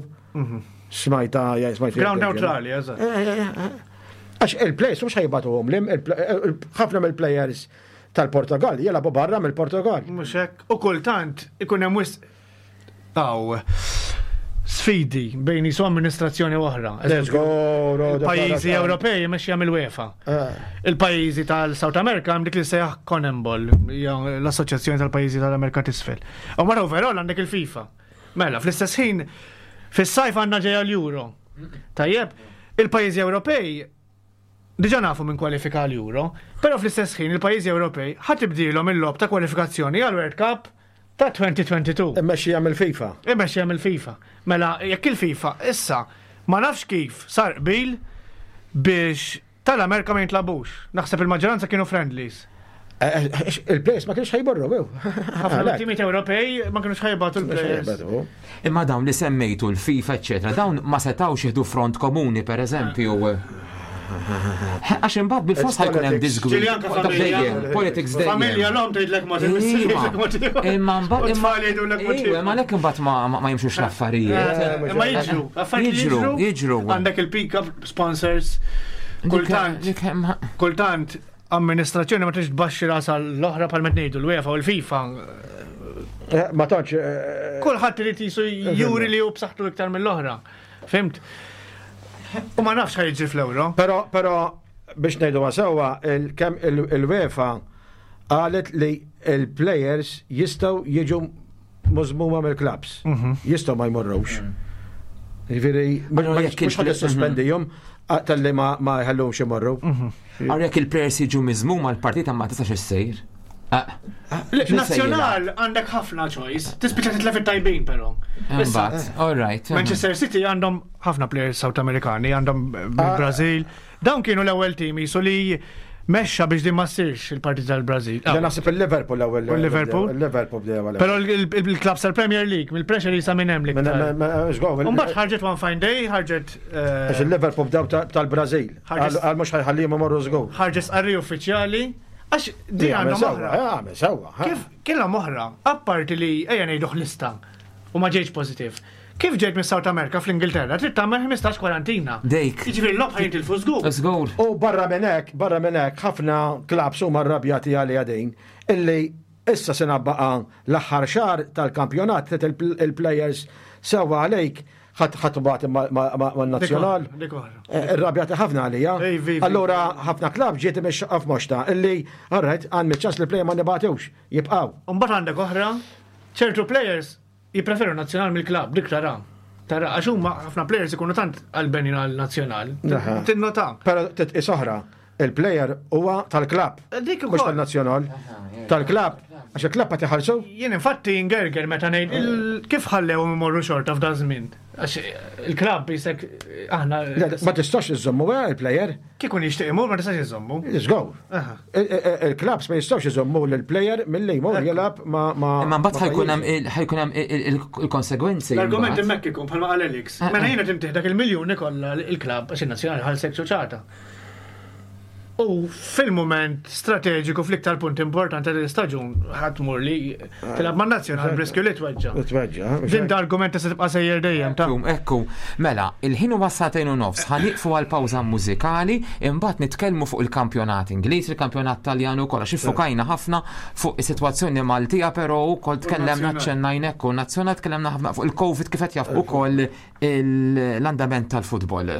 Smajta, ja, smajta. Ground neutrali, eżatt. Għax il-players mhux ħa jibagħtuhom lim, ħafna mill-players tal-Portugal jilagħbu barra mill-Portugal. Mhux hekk. U kultant ikun hemm wisq aw sfidi bejn jisu amministrazzjoni oħra. Let's go, Il-pajjiżi Ewropej mexxija mill-UEFA. Eh. Il-pajjiżi tal-South America hemm dik li sejjaħ CONMEBOL, hija l-Assoċjazzjoni tal-Pajjiżi tal-Amerika t'Isfel. U mara overall għandek il-FIFA. Mela, fl-istess ħin fis-sajf għandna ġejja l-Euro. Tajjeb, il-pajjiżi Ewropej diġà nafu minn kwalifika l-Euro, però fl-istess ħin il-pajjiżi Ewropej ħa tibdilhom il-logħob ta' kwalifikazzjoni għal World Cup Ta' twenty twenty-two. Immexxija mill-FIFA. Immexxija mill-FIFA. Mela, jekk il-FIFA issa ma nafx kif sar qbil biex tal-Amerika ma jintlagħbux. Naħseb il-maġġoranza kienu friendlies. Eh, eh, Il-players ma kienx ħa jmorru, ew. Ħafna timiet Ewropej ma kienux ħa jibagħtu l-players. Imma dawn li semmejtu, l-FIFA, eccetera, dawn ma setawx jieħdu front komuni, per eżempju. Għax imbagħad bil-fors ħa jkun hemm It's disgwid. Ġili anka familja. Dejjem, politics dejjem. Familja l-om tgħidlek ma Iva. Imma mbagħad imma Tfal jgħidulek mod Iva, ma lek imbagħad ma ma jimxux l-affarijiet. Eh, Imma jiġru, affarijiet Jiġru, jiġru. Għandek il-pick-up sponsors. Kultant, Dik- dik- kultant amministrazzjoni ma tix tbaxxi rasa l-oħra pal ngħidu l-UEFA u l-FIFA. Eh, Ma tantx. eh, Kulħadd irid jisu juri li hu b'saħħtu iktar mill-oħra. Fhimt? U ma nafx ħa jiġri fl-Euro. Pero, pero biex ngħidu sewwa, il- kemm il- il-UEFA qalet li il-players jistgħu jiġu miżmuma mill-clubs. Jistgħu ma jmorrux. Jiġifieri, Allora, jekk mhux ħa il- tissospendihom talli ma ma jħallhomx imorru. Għar jekk il-players jiġu miżmuma, l-partita ma tistax issir. Ah, Nazzjonal għandek ħafna choice. Tispiċċa titlef it-tajbin però. Issa, Imbagħad, all right. Manchester City għandhom ħafna players South Amerikani, għandhom Ah. Brazil. Dawn kienu l-ewwel team jisu li mexxa biex din ma ssirx il-partit tal-Brazil. Da naħseb il-Liverpool l-ewwel. U l-Liverpool? Il-Liverpool bdew għal. Però il-clubs tal-Premier League, mill-pressure jisa minn hemm l-iktar. Umbagħad ħarġet one fine day, ħarġet eh, Għax il-Liverpool bdew ta- tal-Brazil. Ħarġet- Għal mhux ħa jħallihom imorru żgur. Ħarġet sqarri uffiċjali, għax din għandhom oħra. Għamel sewwa. Kif kellhom oħra, apparti li ejja ngħidu lista u ma ġejtx pożittiv. Kif ġejt minn South America fl-Ingilterra, trid tagħmel ħmistax kwarantina. Dejk. Jiġifieri l-logħob ħa jintilfu żgur. Żgur. U barra minn hekk, barra minn hekk, ħafna clubs huma rrabjati għalija din illi issa sena baqa l-aħħar xahar tal-kampjonat trid il- il-players sewwa għalejk ħadd ħadd bagħat man-nazzjonal. Dik oħra. Eh, Irrabjati ħafna għalija. Ej, vi, vi. Allura ħafna club ġiet imexxaqqa f'moxta illi alright għand ċans li player ma nibagħtux jibqgħu. Mbagħad għandek oħra, ċertu players jippreferu nazzjonal mill-club, dik tara. Tara, għax huma ħafna players ikunu tant għalbenin għal-nazzjonal. Aha. Tinnota. Però titqis oħra, il-player huwa tal-club. Dik Mhux ukoll. tal-nazzjonal. Tal-club. Għax il-club qed iħallsu. Jien infatti ingerger meta ngħid il- kif ħallewhom imorru xorta f'dan żmien. Għax il-club jisek aħna Le, ma tistax iżommu eh, il-player. kieku jixtieq imur ma tistax iżommu. Let's go. Aha. Il-clubs ma jistgħux iżommu l-player milli jmur jilgħab ma ma. Imma mbagħad ma ħa jkun hemm pajjiżu. il- ħa jkun hemm il- il- il-konsegwenzi. L-argument imbagħad. hemmhekk ikun bħalma qal Alex. Ah, Mela ah. jiena tintih dak il-miljuni kollha il-club għax in-nazzjonali ħalsek ċuċata. U fil-moment strateġiku fl-iktar punt importanti tal-istaġun ħadd tmur li tilgħab man-nazzjonal b'riskju li tweġġa. Tweġġa. Din da argument se tibqa' sejjer dejjem ta' Ekku, ekku, mela, il-ħin huwa sagħtejn u nofs, ħa nieqfu għal pawża mużikali, imbagħad nitkellmu fuq il-kampjonat Ingliż, il-kampjonat Taljan ukoll, għax iffokajna ħafna fuq is-sitwazzjoni Maltija, però wkoll tkellemna ċennajn ekku, nazzjonal tkellemna ħafna fuq il-Covid kif qed jaf ukoll il- l-andament tal-futbol.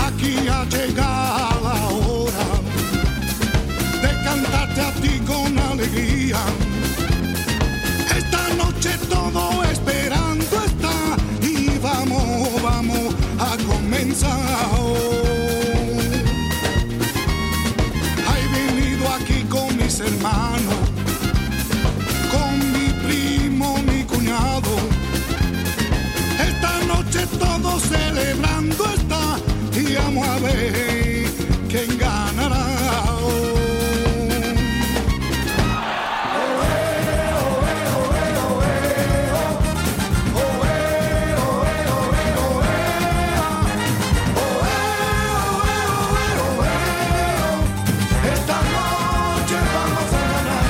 Aquí ha llegado la hora de cantarte a ti con alegría. Esta noche todo esperando está y vamos, vamos a comenzar. He venido aquí con mis hermanos, con mi primo, mi cuñado. Esta noche todo celebrando está y vamos a ver quién ganará. Esta noche vamos a ganar.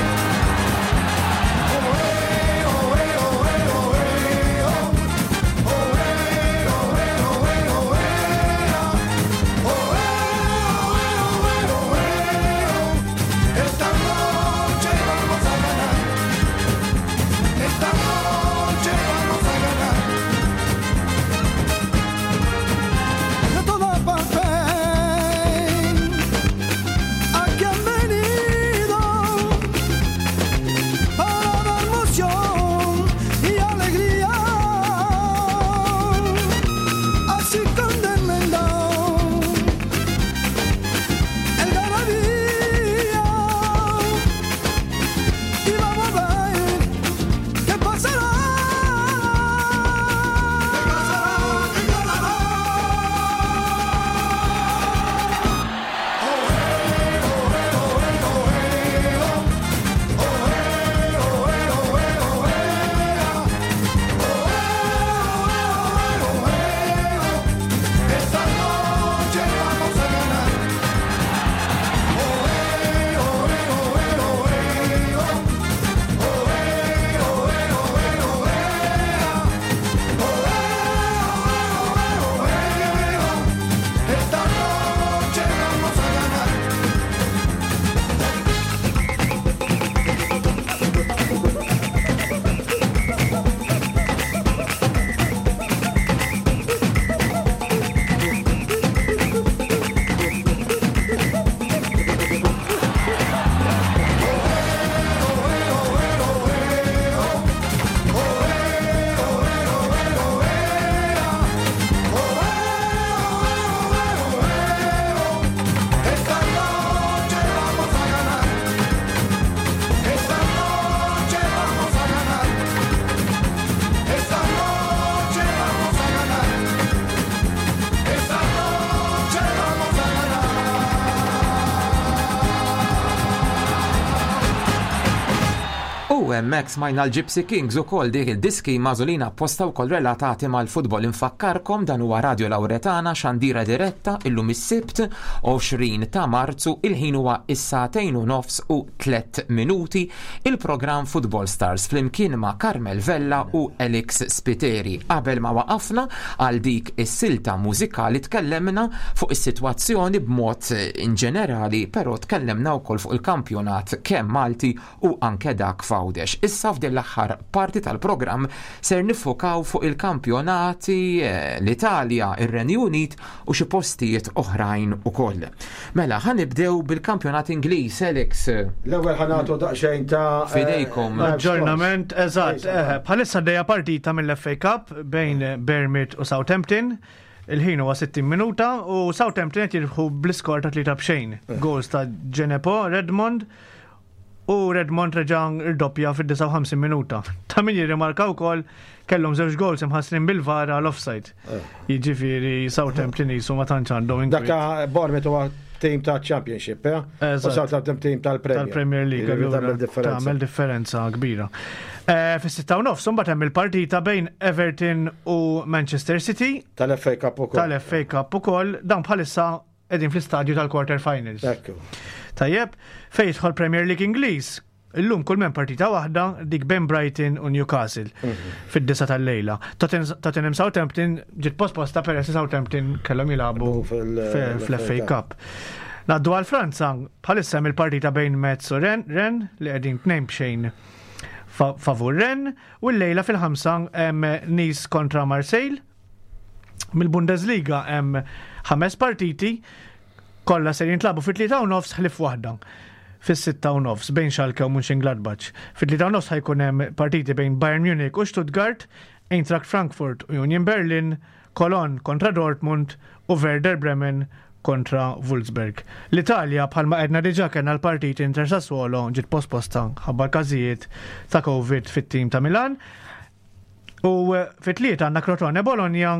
U hemmhekk smajna l-Gypsy Kings ukoll, dik il-diski magħżulin apposta wkoll relatati mal-futbol. Infakkarkom, dan huwa Radio Lauretana, xandira diretta, illum is-Sibt għoxrin ta' Marzu, il-ħin huwa is-sagħtejn u nofs u tliet minuti, il-programm Football Stars flimkien ma' Carmel Vella u Alex Spiteri. Qabel ma waqafna għal dik is-silta mużikali tkellemna fuq is-sitwazzjoni b'mod in ġenerali, però tkellemna wkoll fuq il-kampjonat kemm Malti u anke dak f'Għawdex. Issa f'din l-aħħar parti tal-programm ser niffukaw fuq il-kampjonati eh, l-Italja, ir-Renju Unit u xi postijiet oħrajn ukoll. Mela, ħa nibdew bil-kampjonat Ingliż, Alex. L-ewwel ħa nagħtu daqsxejn ta' Fidejkom. eh, Aġġornament, eżatt. eh, Bħalissa għaddejja partita mill-F A Cup bejn Bournemouth u Southampton. Il-ħin huwa sittin minuta u Southampton qed jirbħu bl-iskor ta' tlieta b'xejn. Goals ta' Djenepo, Redmond u Redmond reġa' irdoppja fid-disgħa u ħamsin minuta. Ta' min jirrimarka wkoll kellhom żewġ goals imħassrin bil-VAR għal offside. Jiġifieri Southampton jisu ma tantx għandhom Dak inkwiet. ta' Bournemouth huwa team ta' Championship, eh? U Eżatt. Southampton team tal-Premier. Tal-Premier League. Jiġifieri Allura tagħmel differenza. Tagħmel differenza kbira. Eh, Fis-sitta u nofs imbagħad hemm il-partita bejn Everton u Manchester City. Tal-F A Cup ukoll. Tal-F A Cup ukoll, dan bħalissa qegħdin fl-istadju tal-quarter finals. Ekku. Tajjeb, fejn jidħol Premier League Ingliż, illum kull men partita waħda, dik bejn Brighton u Newcastle fid-disa tal-lejla. Totten- Tottenham Southampton ġiet posposta peress li Southampton kellhom jilagħbu Fil- fl-F A Cup. Ngħaddu għal Franza, bħalissa hemm il-partita bejn Metz u Rennes, Rennes li qegħdin tnejn b'xejn fa- favur Rennes, u l-lejla fil-ħamsa hemm Nice kontra Marseille. Mill-Bundesliga hemm ħames partiti, kollha ser jintlagħbu fit-tlieta u nofs ħlief waħda fis-sitta u nofs bejn Schalke u Mönchengladbach. Fit-tlieta u nofs ħa jkun hemm partiti bejn Bayern Munich u Stuttgart, Eintracht Frankfurt u Union Berlin, Cologne kontra Dortmund u Werder Bremen kontra Wolfsburg. L-Italja, bħalma għedna diġà, kellna l-partit Inter Sassuolo ġiet posposta ħabba każijiet ta' Covid fit-tim ta' Milan. U eh, fit-tlieta għandna Crotone Bologna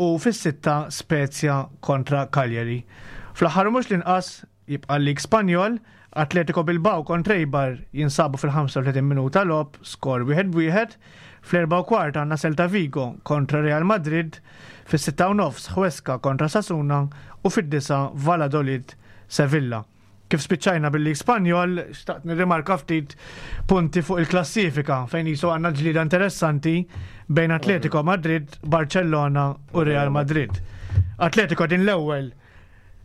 u fis-sitta Spezia kontra Cagliari. Fl-aħħar mhux l-inqas jibqa' l-Lig Spanjol, Atletico Bilbao kontra Eibar jinsabu fil-ħamsa u tletin minuta logħob, skor wieħed wieħed. Fl-erba u kwart għandna Celta Vigo kontra Real Madrid, fis-sitta u nofs Huesca kontra Osasuna u fid-disa Valladolid Sevilla. Kif spiċċajna bil-Lig Spanjol, xtaqt nirrimarka ftit punti fuq il-klassifika fejn jisu għandna ġlida interessanti bejn Atletico Madrid, Barcellona u Real Madrid. Atletico din l-ewwel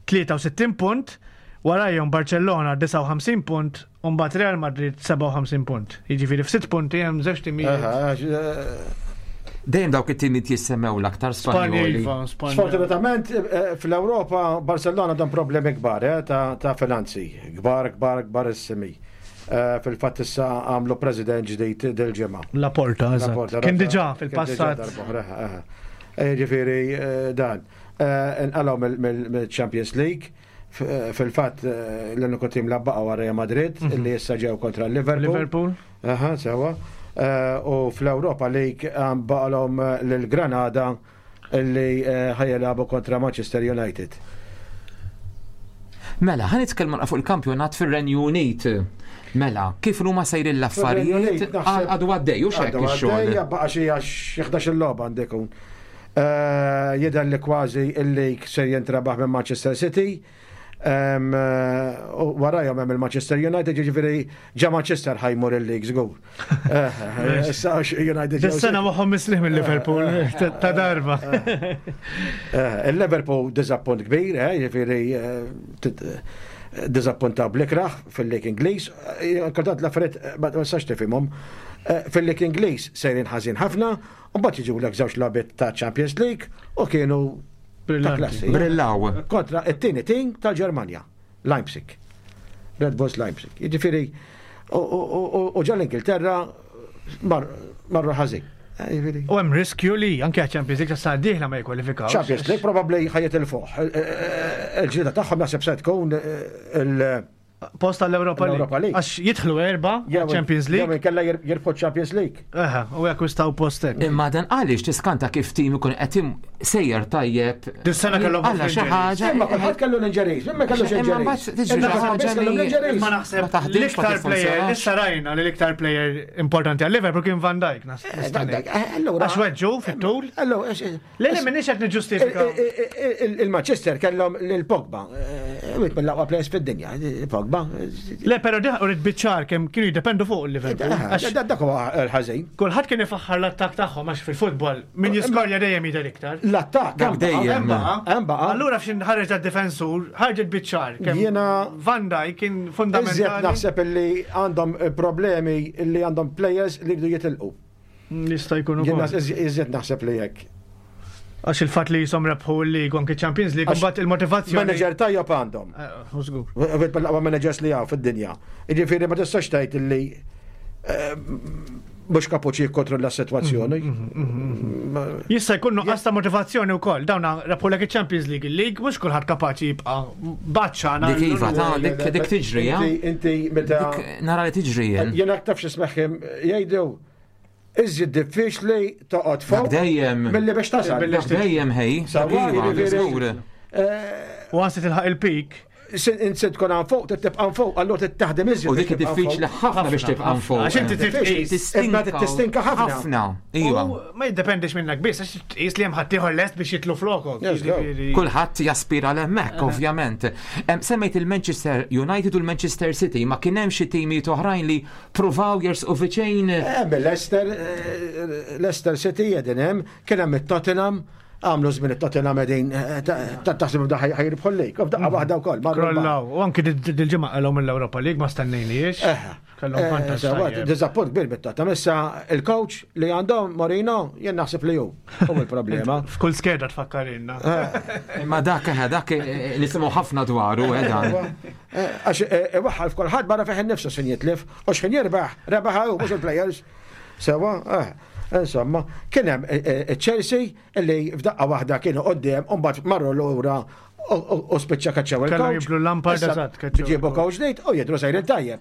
tlieta u sittin punt, warajhom Barcellona disgħa u ħamsin punt, u mbagħad Real Madrid sebgħa u ħamsin punt. Jiġifieri f'sitt punti hemm żewġ timijiet. Aha, eh, Dejjem dawk it-timijiet jissemmew l-aktar Spanjoli. Iva, Spanja. Sfortunatament, eh, fl-Europa, Barcellona għandhom problemi kbar eh, ta' ta' finanzi. Kbar, kbar, kbarissimi. Eh, Fil-fatt issa għamlu president ġdid dil-ġimgħa. Laporta, eżatt. Laporta, Kien raġa- diġà kien diġà fil-passat. darb'oħra, eh, eh. Ġifieri, eh, dan. Eh, Inqalgħu mill-Champions League. F- eh, Fil-fatt eh, l-uniku tim li baqa' wara Real Madrid illi issa ġew kontra Liverpool. Liverpool. Aha, sewa. Eh, U fl-Europa League għam baqalhom lil Granada illi eh, ħa jilagħbu kontra Manchester United. Mela, ħa nitkellmu fuq il-kampjonat fir-Renju Unit. Mela, kif huma sejrin l-affarijiet? Fir-Renju Unit, naħseb- Għadu għaddej, u xek Għadu ix-xogħol. għaddejja, baqa xi għax ħdax-il logħba għandu jkun. Eh, Jidher li kważi il-league ser jintrabaħ minn Manchester City. Em, eh, U warajhom hemm il-Manchester United, jiġifieri ġa Manchester ħa jmur il-league żgur. Eh, eh, Issa għax United ġew Dis-sena moħħhom mistrieħ mill-Liverpool ta' darba. Eh, Il-Liverpool diżappunt kbir, eh, jiġifieri eh, tit- eh, diżappuntaw bl-ikraħ fil-League Ingliż. Eh, Kultant l-affarijiet eh, ma tistax tifhimhom. Eh, Fil-League Ingliż sejrin ħażin ħafna, u mbagħad jiġu lek żewġ logħbiet ta' Champions League u kienu ta' Brillanti. klassi. Brillaw. Kontra it-tieni team tal-Ġermanja, Leipzig. Red Bulls Leipzig. Jiġifieri u- u u- u ġa l-Ingilterra mar- marru ħażin. Eh, Jiġifieri. U hemm riskju li anke Champions League tas dieħla ma jikkwalifikaw. Champions League probably ħa jitilfuh. Il-ġlieda tagħhom naħseb se tkun eh, il- Post għall-Europa L-Europa League. League. Għax jidħlu erba, Champions Jew League. inkella jir- jirbħu Champions League. Eħe, u jakkwistaw postek. Imma dan għaliex tiskanta kif tim ikun qed im- sejjer tajjeb. Dis-sena kellhom Għalla xi injuries. ħaġa. Imma kulħadd kellu l-injuries, imma kellux Imma injuries. mbagħad tiġri Imma xi kulħadd ħaġa kellu li- l-injuries. Imma naħseb Ma taħdimx, ma l-iktar player, tiffunzjonax. issa rajna li l-iktar player importanti għal Liverpool kien Van Dijk. nas- Eh, nista' Van ngħid. Dijk, eh, allura- Għax weġġu fit-tul. Allora, eh, Le le minix qed niġġustifika. il- il- Il-Manchester kellhom lil Pogba, eh, wieħed mill-aqwa players fid-dinja, eh, Pogba. Le, pero diħ urid biċ-ċar kemm kienu jiddependu fuq il-Liverpool. Għax Dak huwa l-ħażin. kulħadd kien ifaħħar l-attakk tagħhom għax fil-futbol min jiskorja dejjem jidher iktar. L-attakk Dak hemm baqa', dejjem. hemm baqa', hemm baqa'. Allura f'xin ħareġ difensur ħarġet biċ-ċar kemm Jiena- Van Dijk kien Iżjed fundamentali. naħseb illi għandhom eh, problemi illi għandhom players li jridu jitilqu. Jista' jkun Jien ukoll. nas- iżjed naħseb li hekk. Għax il-fatt li jisom rebħu l-League u anke Champions League, Għax mbagħad il-motivazzjoni. Manager tajjeb għandhom. Eh, u żgur. Wieħed mill-aqwa managers li hawn fid-dinja. Jiġifieri ma tistax tgħid illi eh, mhux kapaċi jikkontrolla s-sitwazzjoni. Ma- Jista' jkun nuqqas ta' motivazzjoni wkoll. Dawn rebħulek il-Champions League, il-League mhux kulħadd kapaċi jibqa' baċċana. Dik iva, ta' dik dik tiġri, ja? Inti inti meta Dik nara li tiġri jien. jien aktar x'ismeħħim jgħidu iżjed diffiċli toqgħod fuq Dak dejjem. milli biex tasal. Dak dejjem ħej. Dak Sawa, iva, jiġifieri- żgur. Eh, U għansi tilħaq il-peak. Sin inti tkun hawn fuq, trid tibqa' fuq, allura trid taħdem iżjed. U biex dik tibqa' diffiċli fuq. ħafna biex tibqa' fuq. Għax inti trid tqis. Tistinka. Imma tistinka ħafna. Ħafna, iva. U ma jiddependix minnek biss, għax tqis li hemm ħaddieħor lest biex jitlu flokok. Yes, go. Jiġifieri- Kulħadd jaspira l-hemmhekk, ovvjament. Em, Semmejt il-Manchester United u l-Manchester City, ma kien hemm xi timijiet oħrajn li pruvaw jersqu viċin. Hemm Leicester, eh, Leicester City jedin hemm, kien hemm it-Tottenham, għamlu żmien it-Tottenham qegħdin eh, ta' taħseb da ħajrbħu l-lig, u f'daqqa waħda wkoll. marru l-baħar. Krollaw, u anki dil-ġimgħa qalhom mill-Europa League ma stennejniex. Eh, Kellhom eh, vantaġġ sewa, tajjeb. Diżappunt kbir bit-Tottenham. Issa il-coach li għandhom Mourinho jien naħseb li hu. Hu il-problema. F'kull skeda tfakkarinna. Ma dak eh, dak eh, nisimgħu ħafna dwaru eh, dan. Eh, Għax eh, iwaħħal f'kulħadd barra fih innifsu x'in jitlif u x'ħin jirbaħ, rebaħ hu mhux il-players. Sewa, eh, insomma, kien hemm eh, eh, Chelsea illi f'daqqa waħda kienu qudiem u mbagħad marru lura u- u u spiċċa kaċċew Kellhom il-coach. jiblu Lampard, Issa eżatt, kaċċew Ġiebu il-coach. coach ġdid u jidru sejrin tajjeb.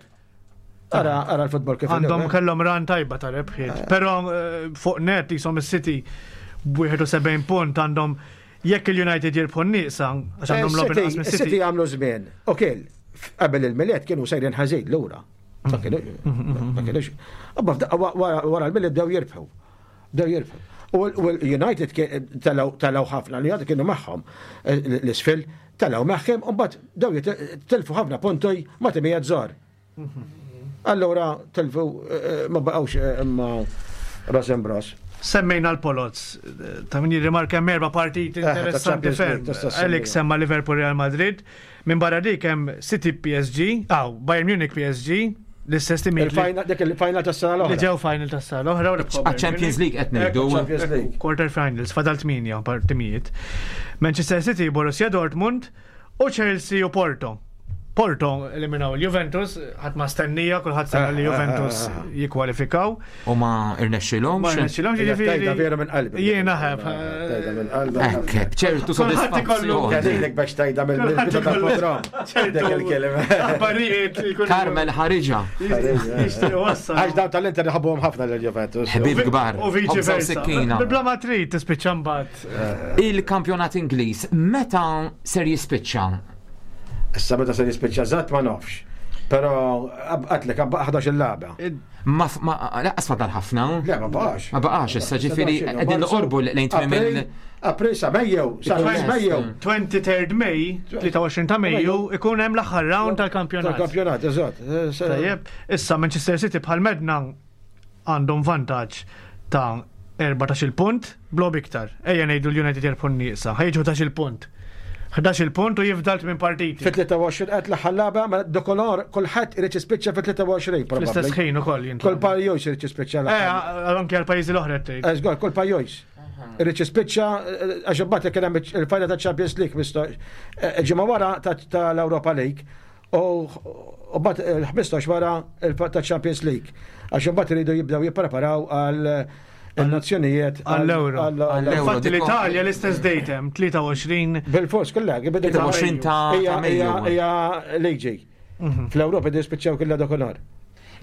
Ara ara l-futbol kif Għandhom inhu, eh. kellhom run tajba ta' rebħiet. Però eh, fuq net jisom is-City b'wieħed u sebgħin punt għandhom jekk il-United jirbħu n-nieqsa għax għandhom logħob inqas City mis-City. City għamlu żmien. U kiel, qabel il-Milied kienu sejrin ħażin lura. Ma kienu- ma kienux. Abba f'daqqa wa- wara wara l-Milied bdew jirbħu. Bdew jirbħu. U l- u l-United kien- telgħu telgħu ħafna, l-United kienu magħhom eh, l-isfil, telgħu magħhom u mbagħad bdew jit- tilfu ħafna punti ma' timijiet żgħar. Allura tilfu eh, ma baqgħux eh, imma ras imbras. Semmejna l-Poloz, ta' min jirrimarka hemm erba' partiti Eh, ta' interessanti Champions ferm. League, tista' ssemmi. Alex semma Liverpool Real Madrid. Minn barra dik hemm City P S G, aw Bayern Munich P S G, l-istess timijiet li- Il-final dik il-final tas-sena li l-oħra. ġew final tas-sena l-oħra u rebħu Bayern Champions Munich. League qed ngħidu. Champions League. Quarter finals, fadal tmienja partimijiet. Manchester City, Borussia Dortmund u Chelsea u Porto. Porto eliminaw il-Juventus, ħadd ma stennija, kulħadd stenna li Eh, eh, Juventus eh, eh. jikkwalifikaw. U ma irnexxilhomx. Ma rnexxilhomx, Hija jiġifieri. Tajda vera minn qalbi. Jiena ħeb. Tajda minn qalbi. Ekk, b'ċertu Kulħadd ikollu- sodisfazzjon. Kelilek biex tajda mill-bidu tal-programm. Dik il-kelma. Aħbarijiet li jkunu- Carmel ħariġa. Jixtieq wassal. Għax dawn tal-Inter iħobbuhom ħafna l-Juventus. Ħbieb kbar. U viċi Ħobża u versa. sikkina. Bla ma trid tispiċċa mbagħad. Il-kampjonat Ingliż meta ser jispiċċa? Issa meta se jispiċċa żatt ma nafx. Però għatlek ħdax il-lagħba. Ma ma laqas fadal ħafna. Le, ma baqax. Ma baqax issa ġifieri qegħdin noqorbu lejn tmiem il- April sa Mejju, sa Yes. Mejju. twenty-third May, tlieta u għoxrin ta' Mejju, ikun hemm l-aħħar round tal-kampjonat. Tal-kampjonat, eżatt. Tajjeb, issa Manchester City bħal medna għandhom vantaġġ ta' erbatax-il punt, blob iktar. Ejja ngħidu l-United jirbħu n-nieqsa, ħajġu ħdax-il punt. ħdax-il punt u jifdalt minn partiti. Fit-tlieta u għoxrin qed l-aħħar lagħba, ma dokolor kulħadd irid jispiċċa fit-tlieta u għoxrin Fl-istess probabbli. ħin ukoll jintlaħ. Kull pajjiż irid jispiċċa Eh, l-aħħar. anke għal pajjiżi l-oħra tgħid. Eżgur, kull pajjiż. Irid jispiċċa eh, għax imbagħad kien hemm il-final ta' Champions League misto- eh, ġimgħa wara ta' tal-Europa League u u mbagħad il-ħmistax wara il- ta' Champions League. Għax imbagħad iridu jibdew jippreparaw għal il-nazzjonijiet Għall-Euro. Għall-Euro. Infatti diko- l-Italja l-istess date hemm tlieta u għoxrin Bil-fors kollha, tlieta u għoxrin ta' ta' Hija Mejju. hija liġi. Fl-Ewropa jdu jispiċċaw kollha dakinhar.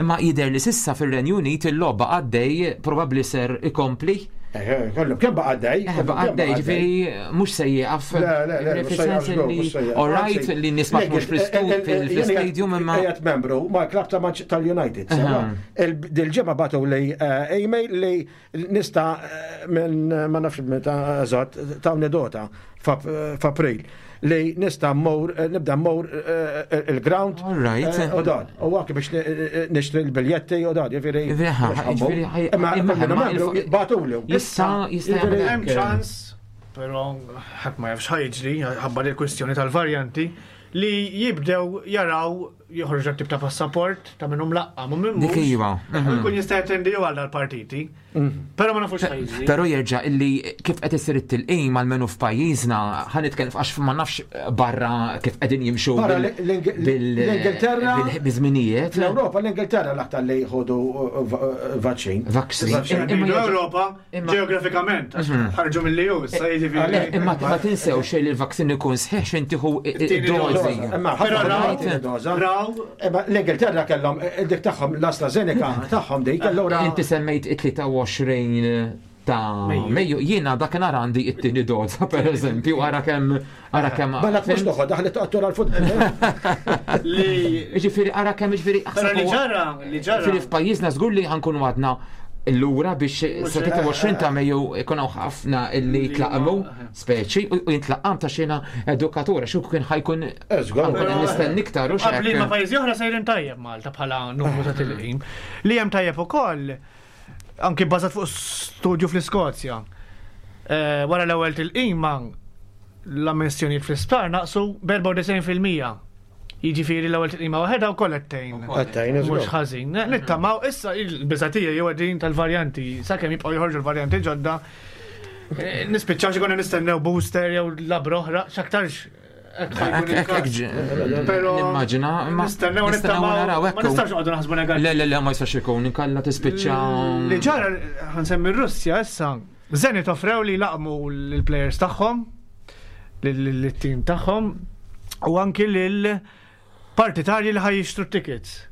Imma jidher li s'issa fir-Renju Unit il-logħba għaddej, probabbli ser ikompli. Eh, eh, kollu, kemm baqa' għaddej? Eh, baqa' għaddej, ġifieri mhux se jieqaf. Le, le, le, mhux se jieqaf żgur, mhux se jieqaf. All right, li nies ma tmurx fl-istadium imma. Qiegħed membru mal-klab ta' Manch- tal-United. Sewwa. Il- Dil-ġimgħa bagħtu li eh, email li nista' eh, minn ma nafx meta eżatt ta' data f'April li nista' mmur eh, nibda mmur eh, il-ground All right. eh, u dan. U anke biex ni- nixtri l-biljetti u dan, jiġifieri. Jiġifieri, ħa, jiġifieri, ħaj- Imma imma- imma imma membru il- bagħtulu. Jista' jista' Jiġifieri, jagħmel Hemm hekk. ċans, però ħadd ma jafx ħajġri ħabba li l-kwistjoni tal-varjanti li jibdew jaraw joħorġu tip ta' passaport ta' minnhom laqqa minn minn Dik iva. U jkun jista' jattendi jew għal dal-partiti. Però ma nafux ħajġri. Però jerġa' illi kif qed isir it-tilqim għalmenu f'pajjiżna, ħa nitkellem għax ma nafx barra kif qegħdin jimxu Barra bil- l- bil- l-Ingilterra- bil- biżminijiet. Fl-Ewropa l-Ingilterra l-aktar li jħodu vaċċin. Vaccine. Imma Imma jerġa' Ewropa imma- ġeografikament, għax ħarġu mill-E U, issa jiġifieri. Imma ma tinsew xejn li l-vaccine ikun sħiħ x'intiħu It-tieni id-dożi. Imma Però ħafna raw- tieni doża. Raw Imma l-Ingilterra kellhom dik tagħhom l-AstraZeneca tagħhom dik allura Inti semmejt it-tlieta u għoxrin ta' Mejju, jiena dakinhar għandi it-tieni doża per eżempju, ara kemm ara kemm. Bella tmux toħod daħlet toqgħod għal-futbol. li Ġifieri ara kemm ġifieri Però li ġara, li ġara. Ġifieri f'pajjiżna żgur li ħankunu għadna l-lura biex sa tlieta u għoxrin ta' Mejju ikun hawn ħafna illi jitlaqmu speċi u u jintlaqqam ta' xina edukatura xu kien ħajkun Żgur. ħankun nistenni iktar u Qabli ma x'hekk. pajjiżi oħra sejrin tajjeb Malta bħala numru ta' tilqim. Li hemm tajjeb ukoll anki bbażat fuq studju fl-Iskozja. Eh, Wara l-ewwel tilqima l-ammissjonijiet fl-isptar naqsu b'erbgħa u disgħin fil-mija. Jiġifieri l-ewwel tilqima waħedha wkoll qed tgħin. Qed tgħin, żgur. Mhux ħażin. Nittamaw issa il-biżatija jew din tal-varjanti, sakemm jibqgħu joħorġu l-varjanti ġodda. eh, Nispiċċaw xi konna nistennew booster jew labra oħra, x'aktarx hekk ħajkun Hekk hekk il-każ. ġ- Però Nimmaġina, imma Nistennew nistennew nittamaw. naraw Ma hekk. nistax noqogħdu naħsbu negattiv. Le, le, le, ma jistax ikun, inkella tispiċċa. Li ġara ħansemmi r-Russja issa. Zenit offrew li laqmu l-players tagħhom, l-team tagħhom, u anki lil partitarji li ħaj jixtru tickets.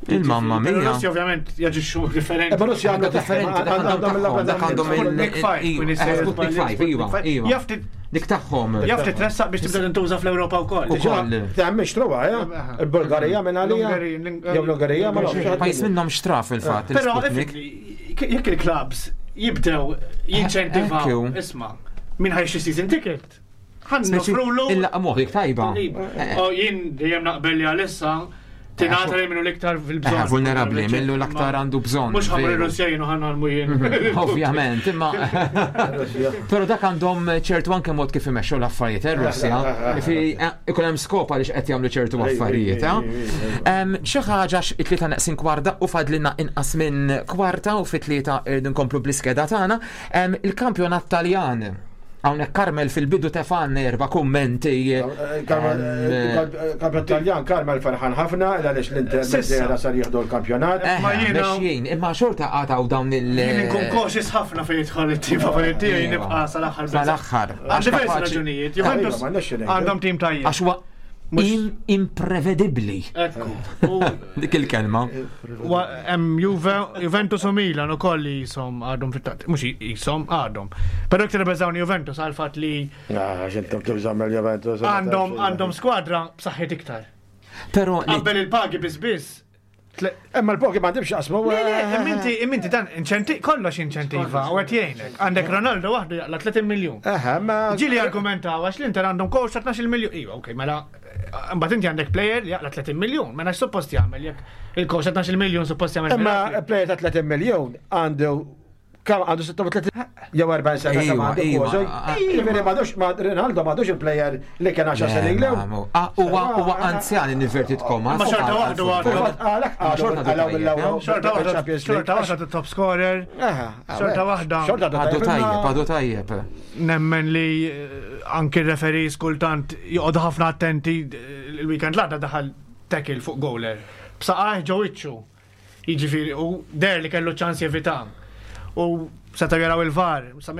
Il-mamma Però mia. Russja ovvjament jaġixxu differenti. Imma Russja għandha Differenti, dak għandhom għandhom dak għandhom il- Sputnik five, iva, kun jista' eh, Sputnik jisbaħ five, iva, Sputnik five. iva. Jaf ti- Dik tagħhom. Jaf titressaq biex tibda tintuża fl-Ewropa wkoll. Ukoll. Ta' mhix truwa, ja? Il-Bulgarija minn għalija. L-Ungerija, Jew l-Ungerija ma nafx. Pajjiż minnhom xtraf fil-fatt Però il-Sputnik. effettively, jekk il-clubs jibdew jinċentivaw, Ekku. isma', min ħajxi season ticket, ħan Speċi nofrulu. Il-laqmuħ dik tajba. Oh, jien dejjem naqbel li għalissa tingħata li minnu l-iktar fil-bżonn. Eh, vulnerabbli, minnu l-aktar għandu bżonn. Mhux ħamur veru. ir-Russja jien u ħan għalmu jien. Ovvjament, imma. Però dak għandhom ċertu anke mod kif imexxu l-affarijiet, eh, Russja. Fi ikun hemm skop għaliex qed jagħmlu ċertu affarijiet. eh. Em, Xi ħaġa x- it-tlieta neqsin kwarta u fadlilna inqas minn kwarta u fit-tlieta irridu nkomplu bl-iskeda tagħna. Em, Il-kampjonat Taljan. Hawnhekk Carmel fil-bidu tefan erba' kummenti. Kampjonat Taljan, Carmel ferħan ħafna, għaliex l-Inter Sissa. Mezera sar jieħdu l-kampjonat. Eh, Ma jiena- mexjin, imma xorta għataw dawn il- Jien inkun cautious ħafna fejn jidħol it-tim favorit tiegħi Iva. nibqa' sal-aħħar. Sal-aħħar. Għal diversi Kapaċi- raġunijiet. Iva, Juventus ma nafx ngħidu. għandhom tim tajjeb. Għax huwa Mhux- im- imprevedibbli. Ekku. U Dik il-kelma. Wa- Hemm Juve, Juventus u Milan ukoll li jisom għadhom fit-tat. Mhux jisom għadhom. Però iktar beżawni Juventus għal fatt li Ah, xintom tibża' mill-Juventus. għandhom għandhom skwadra b'saħħit iktar. Però li- Qabel il-pagi biss biss. tle- Imma l-poki ma għandhomx jaqsmu. Le, le, imminti, imminti dan inċenti, kollox inċentiva, u qed jgħinek. Għandek Ronaldo waħdu jaqla tletin miljun. Eħe, ma. Ġili argumentaw għax l-Inter għandhom coach ta' tnax-il miljun. Iva, okej, mela, mbagħad inti għandek player li jaqla tletin miljun, mela x'suppost jagħmel jekk il-coach ta' tnax-il miljun suppost jagħmel. Imma mirakli. player ta' tletin miljun għandu kam għandu sitta u tletin jew erbgħin sena Iva, kemm għandu iva. kważi. Jiġifieri m'għadux ma Ronaldo m'għadux il-player li kien għaxar sena Le, ilu. ma- ma- ah, Huwa huwa anzjan in inverted commas. Ma xorta waħdu għadu. Għalhekk Ma xorta għadu għadu mill-ewwel Xorta waħda, Champions League. xorta waħda top scorer. Aha, Xorta waħda. Xorta Għadu tajjeb, għadu tajjeb. Nemmen li eh, anki referees kultant joqogħdu ħafna attenti eh, il-weekend l-għadda daħal tackle fuq goaler. B'saqajh ġo wiċċu. Jiġifieri u der li kellu ċans jevita. U seta' jaraw il-VAR. Sa-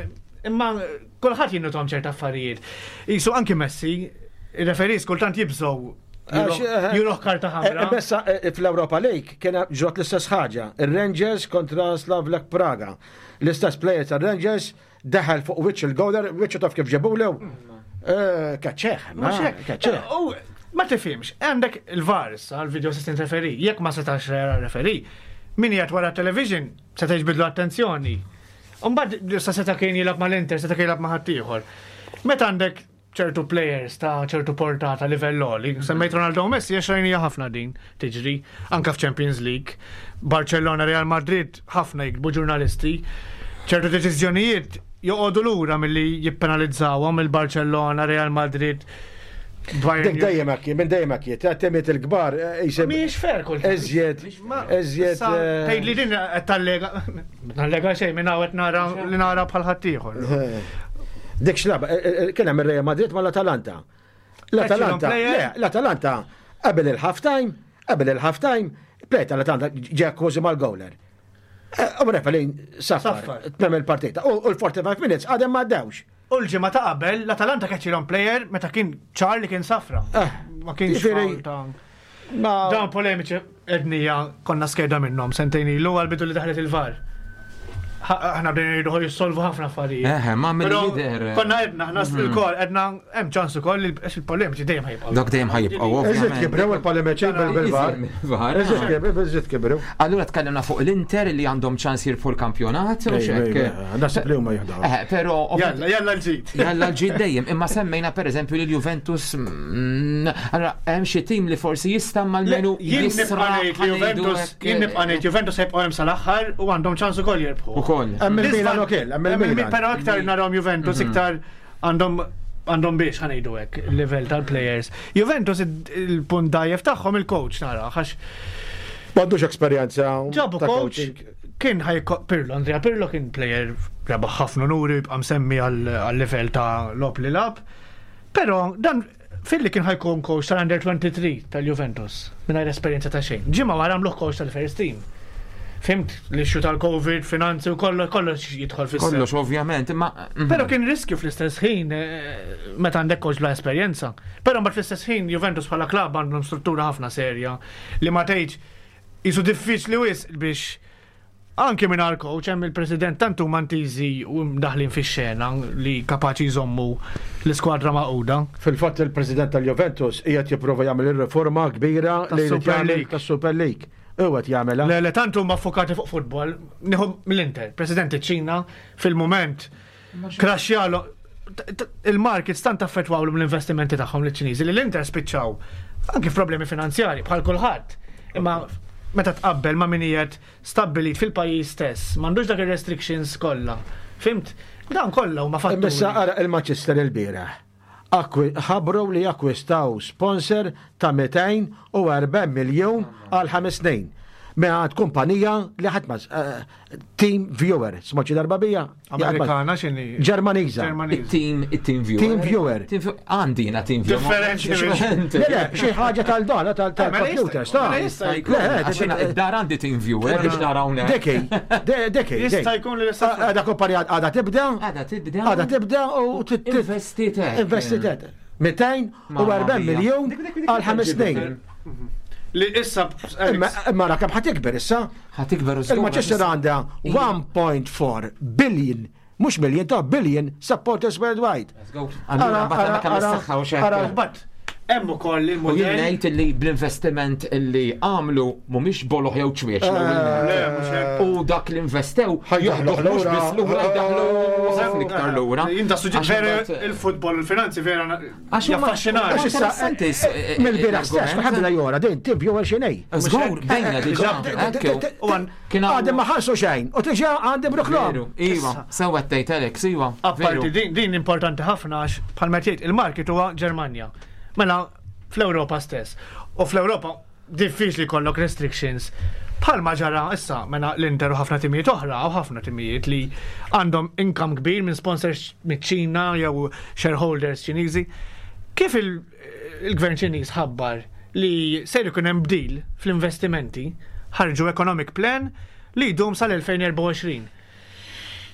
Imma kulħadd jinnutom ċerta affarijiet. Isu anki Messi, il-referees kultant jibżgħu Juruh karta ħamra. Bessa fl-Europa League kien ġrot l-istess ħaġa. Il-Rangers kontra Slavia Praga. L-istess player tal-Rangers daħal fuq wiċċ il-goaler, wiċċu taf kif ġabulu. Kaċċeħ, ma kaċċeħ. Ma tifhimx, għandek il-VAR issa, il-video assistant referee, jekk ma setax jara referee, min jgħat wara television seta' jiġbidlu attenzjoni. Umbagħad sa seta' kien jilgħab mal-Inter, seta' kien jilgħab ma' ħaddieħor. Meta għandek ċertu players ta' ċertu portata livell għoli, semmejt Ronaldo u Messi, għax rajnija ħafna din tiġri, anka f'Champions League, Barcellona, Real Madrid, ħafna jiktbu ġurnalisti, ċertu deċiżjonijiet joqogħdu lura milli jippenalizzawhom il-Barcellona, Real Madrid, Bayern Dik dejjem hekk, minn dejjem hekk, ta' temiet il-kbar jisib. Mhijiex fair kultant. Eżjed, eżjed. Tgħid li din qed tallega, tallega xejn minn hawn qed nara li nara bħal ħaddieħor. Dik xlaba, kien hemm ir-Real Madrid mal-Atalanta. L-Atalanta, le, l-Atalanta qabel il-half time, qabel il-half time, player tal-Atalanta ġie kważi mal-goaler. U referee saffar, tmem il-partita. U l-forty-five minutes għadem ma għaddewx. U l-ġimgħa ta' qabel, l-Atalanta keċċilhom player meta kien ċar li kien safra. Ma kienx Ġifieri, foul ta' dawn polemiċi etnija konna skeda minnhom sentejn ilu għal-bidu li daħlet il-VAR. Aħna bdejna jridu jissolvu ħafna affarijiet. Eħe, ma mill Però jidher. Konna edna, aħna il-kol, edna hemm ċans ukoll li il-polemiċi dejjem ħajibqgħu. Dak dejjem ħajibqgħu, Eżiet ovvjament. kibrew il-polemiċi bil-VAR. VAR. Eżiet kibrew, eżiet kibrew. Allura tkellimna fuq l-Inter li għandhom ċans jirbħu l-kampjonat, u xek. Naħseb li huma jieħdu. Eh, però Jalla, jalla l-ġid. Jalla l-ġid dejjem, imma semmejna per eżempju li l-Juventus, mm, allora hemm xi tim li forsi jista' mal-menu Jien nibqa' jisra' ngħid li Juventus, jien nibqa' ngħid Juventus jibqgħu hemm sal-aħħar u għandhom ċans ukoll jirbħu. Ukoll. Hemm il-Milan ukoll, hemm il-Milan. Però iktar narahom Juventus, iktar għandhom għandhom biex ħa ngħidu hekk il-level tal-players. Juventus il-punt dajjef tagħhom il-coach nara, għax M'għandux esperjenza ġabu ta' coach coaching. kien ħaj Pirlo, Andrea Pirlo kien player rebaħ ħafna nuri, jibqa' msemmi għal-level ta' logħob li lagħab. Però dan filli kien ħajkun coach tal-Under twenty-three tal-Juventus, mingħajr esperjenza ta' xejn. Ġimgħa wara għamluh coach tal-first team. Fhimt, l-issue tal-Covid, finanzi u kollox, kollox jidħol fis Kollox, ovvjament, imma. Però kien riskju fl-istess ħin eh, meta għandek coach bla esperjenza. Però mbagħad fl-istess ħin Juventus bħala klabb għandhom struttura ħafna serja li ma tgħidx jisu diffiċli wisq biex anke minn coach hemm il-president tant huma ntiżi u mdaħlin fix-xena li kapaċi jżommu l-iskwadra maquda. Fil-fatt il-president tal-Juventus qiegħed jipprova jagħmel ir-riforma kbira li jrid Tas-Super jagħmel League. tas-Super League. Huwa qed jagħmilha. Le, le, tant huma ffokati fuq futbol, nieħu mill-Inter, President iċ-Ċina fil-moment kraxjalu il-markets tant affettwaw l-investimenti tagħhom liċ-Ċiniżi li l-Inter spiċċaw anke f'problemi finanzjari bħal kulħadd. Imma meta tqabbel ma' min qiegħed stabbilit fil-pajjiż stess, m'għandux dak ir-restrictions kollha. Fhimt? Dan kollha huma fatturi. Issa ara il-Manchester il-bieraħ. Akwi- ħabru li akkwistaw sponsor ta' mitejn u erbgħin miljun għal ħames snin. Minn kumpanija li ħadd ma eh, Team Viewer, smajt xi darba bija? Amerikana x'inhi? Ġermaniża. Ġermaniża. Il-team, il-team viewer. Team viewer. Team viewer. Għandi jiena team viewer. Differenti. Differenti. Le, le, xi ħaġa tal-dona tal-computers, ta' Mela jista' jkun. Le, Għax jiena id-dar għandi team viewer biex nara hawnhekk. Deki, de- deki. Jista' jkun li l-istess- Għada kumpanija għada tibda, Għada tibda. għada tibda u Investitek. Investitet. mitejn u erbgħin Mamma mia. miljun Dik- dik- dik- għal ħames snin. Li issa Imma imma ra kemm ħa tikber issa. Ħa tikber u żgur. Il-Manchester għandha one point four billion, mhux million, ta' billion supporters worldwide. Let's go. Allura mbagħad għandna kemm Ara, is-saħħa u ara, xekk. But hemm ukoll U jien il-mudell. ngħid li bl-investiment illi għamlu mhumiex boloħ jew ċwiex. Le, mhux hekk. U dak li investew Ħajdaħlu jaħduh mhux lura. biss lura, jdaħlu ħafna iktar lura. Jien da suġġett Għax vera imbagħad- il-futbol, il-finanzi vera Għax huma- jaffaxxinani. Għax issa- Interessanti s- eh, Mill-bieraħ stess, l-argument. kulħadd beda jora din team viewer x'inhi. Żgur, bdejna diġà. Ekku. U għan- Kien hawn- Għadem ma ħallsu xejn, u diġà għandhom reklam. Veru, Iva, sewa tgħid Alex, iva. Apparti veru. din, din importanti ħafna għax bħalma tgħid il-market huwa Ġermanja. Mela fl-Ewropa stess. U fl-Ewropa diffiċli jkollok restrictions. Bħalma ġara issa mela l-Inter u ħafna timijiet oħra u ħafna timijiet li għandhom income kbir minn sponsors miċ-Ċina jew shareholders Ċiniżi. Kif il- il-gvern Ċiniż ħabbar li ser ikun hemm bdil fl-investimenti, ħarġu economic plan li jdum sal-elfejn u erbgħa u għoxrin.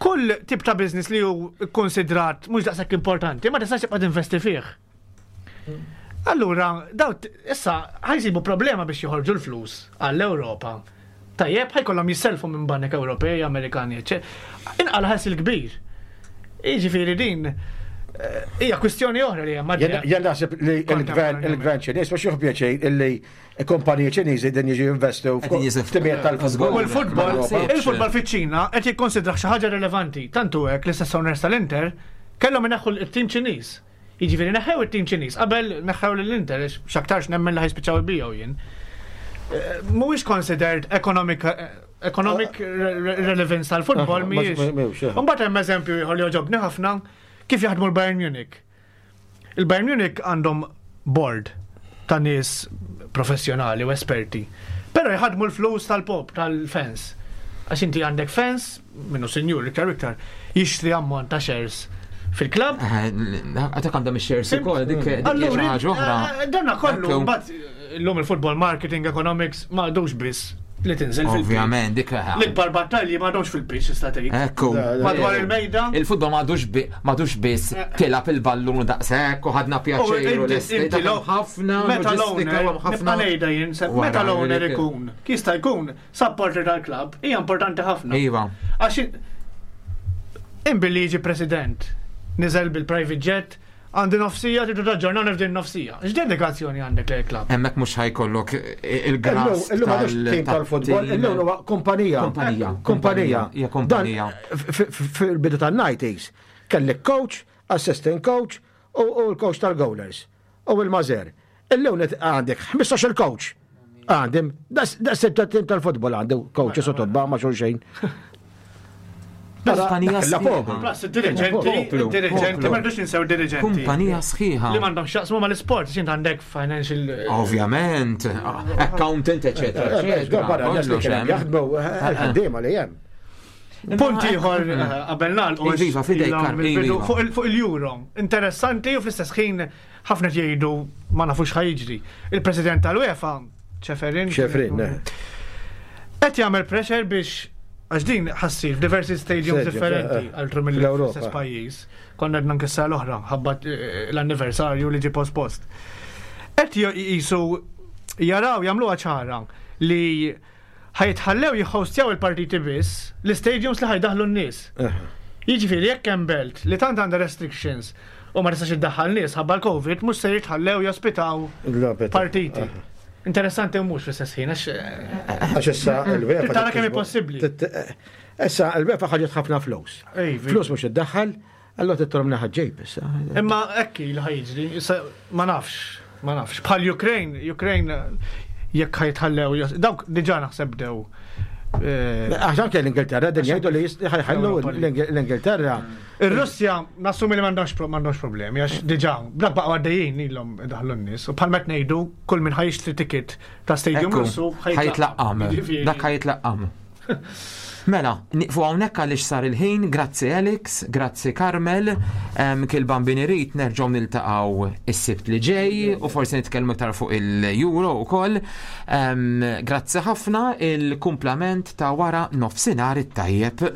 Kull tip ta' business li hu konsidrat mhux daqshekk importanti, ma tistax tibqa' tinvesti fih. Allura, daw issa ħa jsibu problema biex joħorġu l-flus għall-Ewropa. Tajjeb, ħa jkollhom jisselfu minn banek Ewropej, Amerikani, eċċetera. Inqala' ħasil kbir. Jiġifieri din eh, hija kwistjoni oħra li hemm Jien jien naħseb li il-gvern il-gvern Ċiniż mhux jieħu pjaċir illi kumpaniji Ċiniżi din jiġu jinvestu Qegħdin jiżif- f'timijiet tal-futbol. U l-futbol, Ma il-futbol fiċ-Ċina qed jikkonsidra xi ħaġa rilevanti. Tantu hekk l-istess owners tal-Inter kellhom ineħħu l-tim Ċiniż. Jiġifieri neħħew it-tim Ċiniż qabel neħħew lill-Inter għax x'aktarx nemmen li ħa jispiċċaw ibigħu jien. Eh, Mhuwiex considered economic economic re- re- relevance tal-futbol Ah, mhijiex. mhux- mhux, eh. Imbagħad hemm eżempju ieħor li jogħġobni ħafna kif jaħdmu l-Bayern Munich. Il-Bayern Munich għandhom board ta' nies professjonali u esperti. Però jħadmu l-flus tal-pop, tal-fans. Għax inti għandek fans, minnu sinjur iktar u iktar, jixtri ammont ta' shares fil-klab. Għatak għandhom ix-shares ukoll, dik dik hija xi Allura, ħaġa oħra. eh, Danna kollu, Ekku. mbagħad illum il-football marketing, economics, ma għadux biss li tinżel fil-pitch. Ovvjament, dik L-ikbar battalji ma għadux fil-pitch, tista' tgħid. Ekku. Madwar il-mejda. Il-futbol m'għadux bi- m'għadux biss tilgħab il-ballun daqshekk u ħadna pjaċir u inti- lesti. inti lo- ħafna Meta loġistika l-owner, u hemm ħafna. nibqa' ngħidha jien, se- Wara meta l-owner dik- ikun, jista' jkun supporter tal-klabb, hija importanti ħafna. Iva. Għax imbilli jiġi president, niżel bil-private jet, għandi nofsija, tridu taġġornawni f'din nofsija. X'dedikazzjoni għandek lejn klabb? Hemmhekk mhux ħa jkollok il-gras. Illum m'għadux tim tal-futbol, illum huwa kumpanija. Kumpanija. Kumpanija. Hija kumpanija. Dan, f- f- Fil-bidu tan-nineties, kellek coach, assistant coach u u l-coach tal-goalers. U il-mażer. Illum net- għandek ħmistax il coach. Għandim, das tim tal-futbol għandu coaches u tobba ma' xulxejn. Kumpanija La sħiħa. poplu. Plus, il-dirigenti, Poplu, il-dirigenti, poplu. ma rridux ninsew dirigenti. Kumpanija sħiħa. Li m'għandhom x'jaqsmu mal-isport, x'int għandek financial. Ovvjament, accountant, eccetera, eccetera. Barra, nies li Kollox kien hemm. jaħdmu il-ħaddiema li hemm. Punt ieħor eh, qabel nagħlqu Iva, fidejk, ilhom Karl, il-bidu iva. fuq il- fuq il-Euro. Interessanti u fl-istess ħin ħafna jgħidu ma nafux ħa jiġri. Il-President tal-UEFA, Ceferin. Ceferin, eh. Qed jagħmel pressure biex għax din ħa ssir f'diversi stadiums Stadiums, differenti eh, eh. altru Fl-Ewropa. mill-istess pajjiż. Konna għedna nkissa l-oħra, ħabba eh, l-anniversarju li ġi post-post. Qed jisu jaraw jagħmluha ċara li ħa jitħallew jħostjaw il-partiti biss l-stadiums li ħa jdaħħlu n-nies. Jiġifieri jekk hemm belt li tant għandha restrictions u ma tistax iddaħħal nies ħabba l-Covid mhux se jitħallew jospitaw partiti. Interessanti u mhux fl-istess ħin għax eh, Għax issa il-UEFA. Tara kemm hi possibbli. Issa il-UEFA ħaġet ħafna flus. Ejvi. Flus mhux iddaħħal, allora titrom naħa ġejb issa. Imma ekki li ħa jiġri, issa ma nafx, ma nafx. Bħal Ukraine, Ukraine jekk ħa jitħallew, jos- dawk diġà naħseb bdew. eh, Għax anke l-Ingilterra, din jgħidu li jist- ħa jħallu Europa League. l-Ingilterra. Ir-Russja nassumi li m'għandhomx pro- m'għandhomx problemi għax diġà dak baqgħu għaddejjin ilhom idaħlu n-nies u bħal meta ngħidu kull min ħa jixtri ticket ta' stadium Ekku, Russu ħa jitlaqqam. Jiġifieri- Dak ħa jitlaqqam. Mela, niqfu hawnhekk għaliex sar il-ħin, grazzi Alex, grazzi Carmel, em, kil bambin irid nerġgħu niltaqgħu is-Sibt li ġej u forsi nitkellmu iktar fuq il-Euro ukoll. Em, Grazzi ħafna il-kumplament ta' wara nofsinhar it-tajjeb.